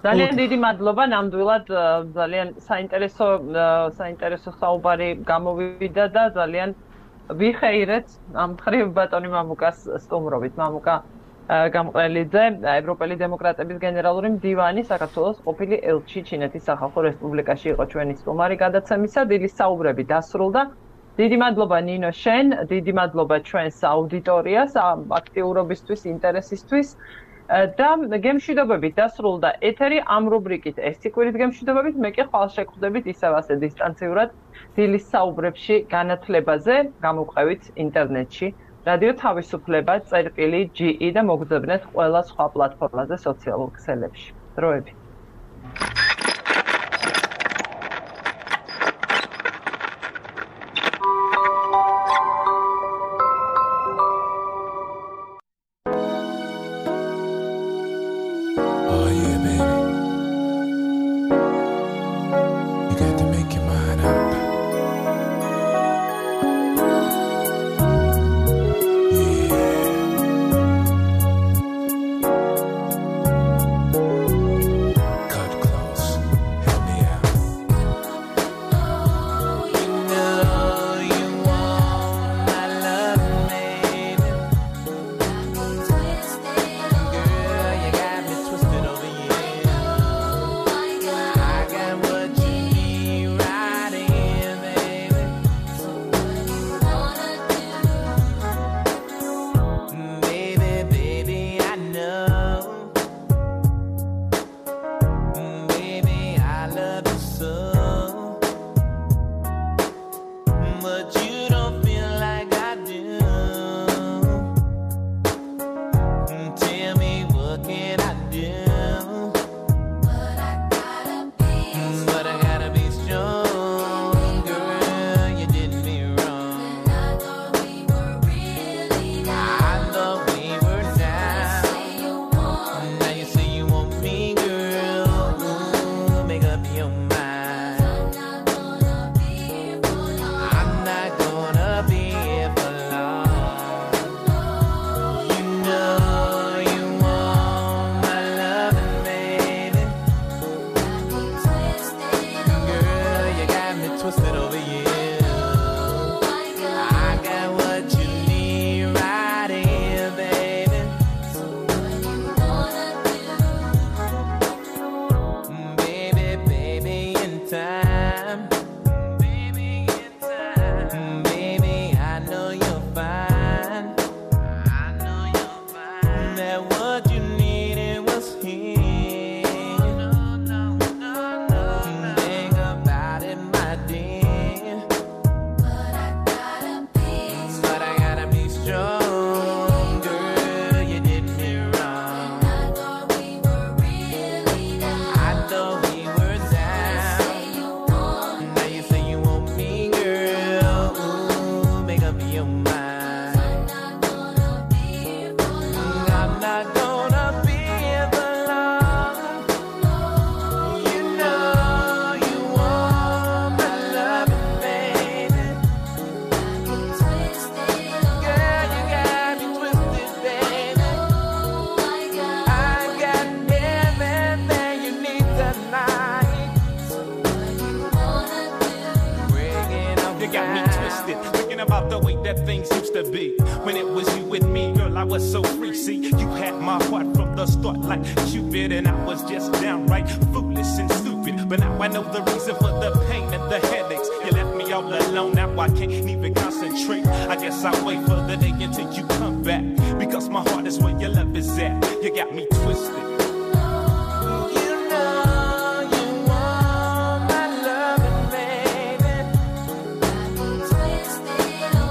ძალიან დიდი მადლობა, ნამდვილად ძალიან საინტერესო საინტერესო საუბარი გამოვიდა და ძალიან ვიხეირეთ ამ მხრივ ბატონი მამუკას სტუმრობით. მამუკა გამყრელიძე, ევროპელი დემოკრატების გენერალური მდივანი, საქართველოს ყოფილი ელჩი ჩინეთის სახალხო რესპუბლიკაში იყო ჩვენი სტუმარი გადაცემისა. დილის საუბრები დასრულდა. დიდი მადლობა ნინო შენ, დიდი მადლობა ჩვენს აუდიტორიას აქტიურობისთვის, ინტერესისთვის. და გემშვიდობებით დასრულდა ეთერი ამ რუბრიკით ეთიკურით გემშვიდობებით, მე კი ხვალ შეგხვდებით ისევ ასე დისტანციურად დილის საუბრებში განათლებაზე, გამოვყევით ინტერნეტში, რადიო თავისუფლება, წერტილი ჯი ი და მოგძებნეთ ყველა სხვა პლატფორმაზე, სოციალურ ქსელებში. დროებით.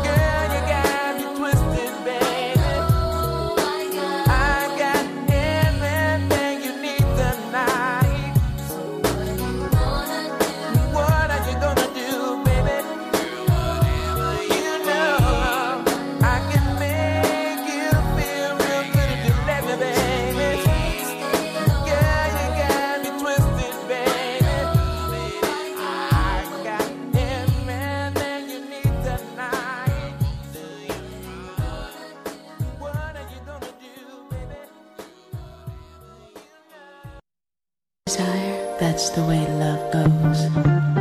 Girl, That's the way love goes.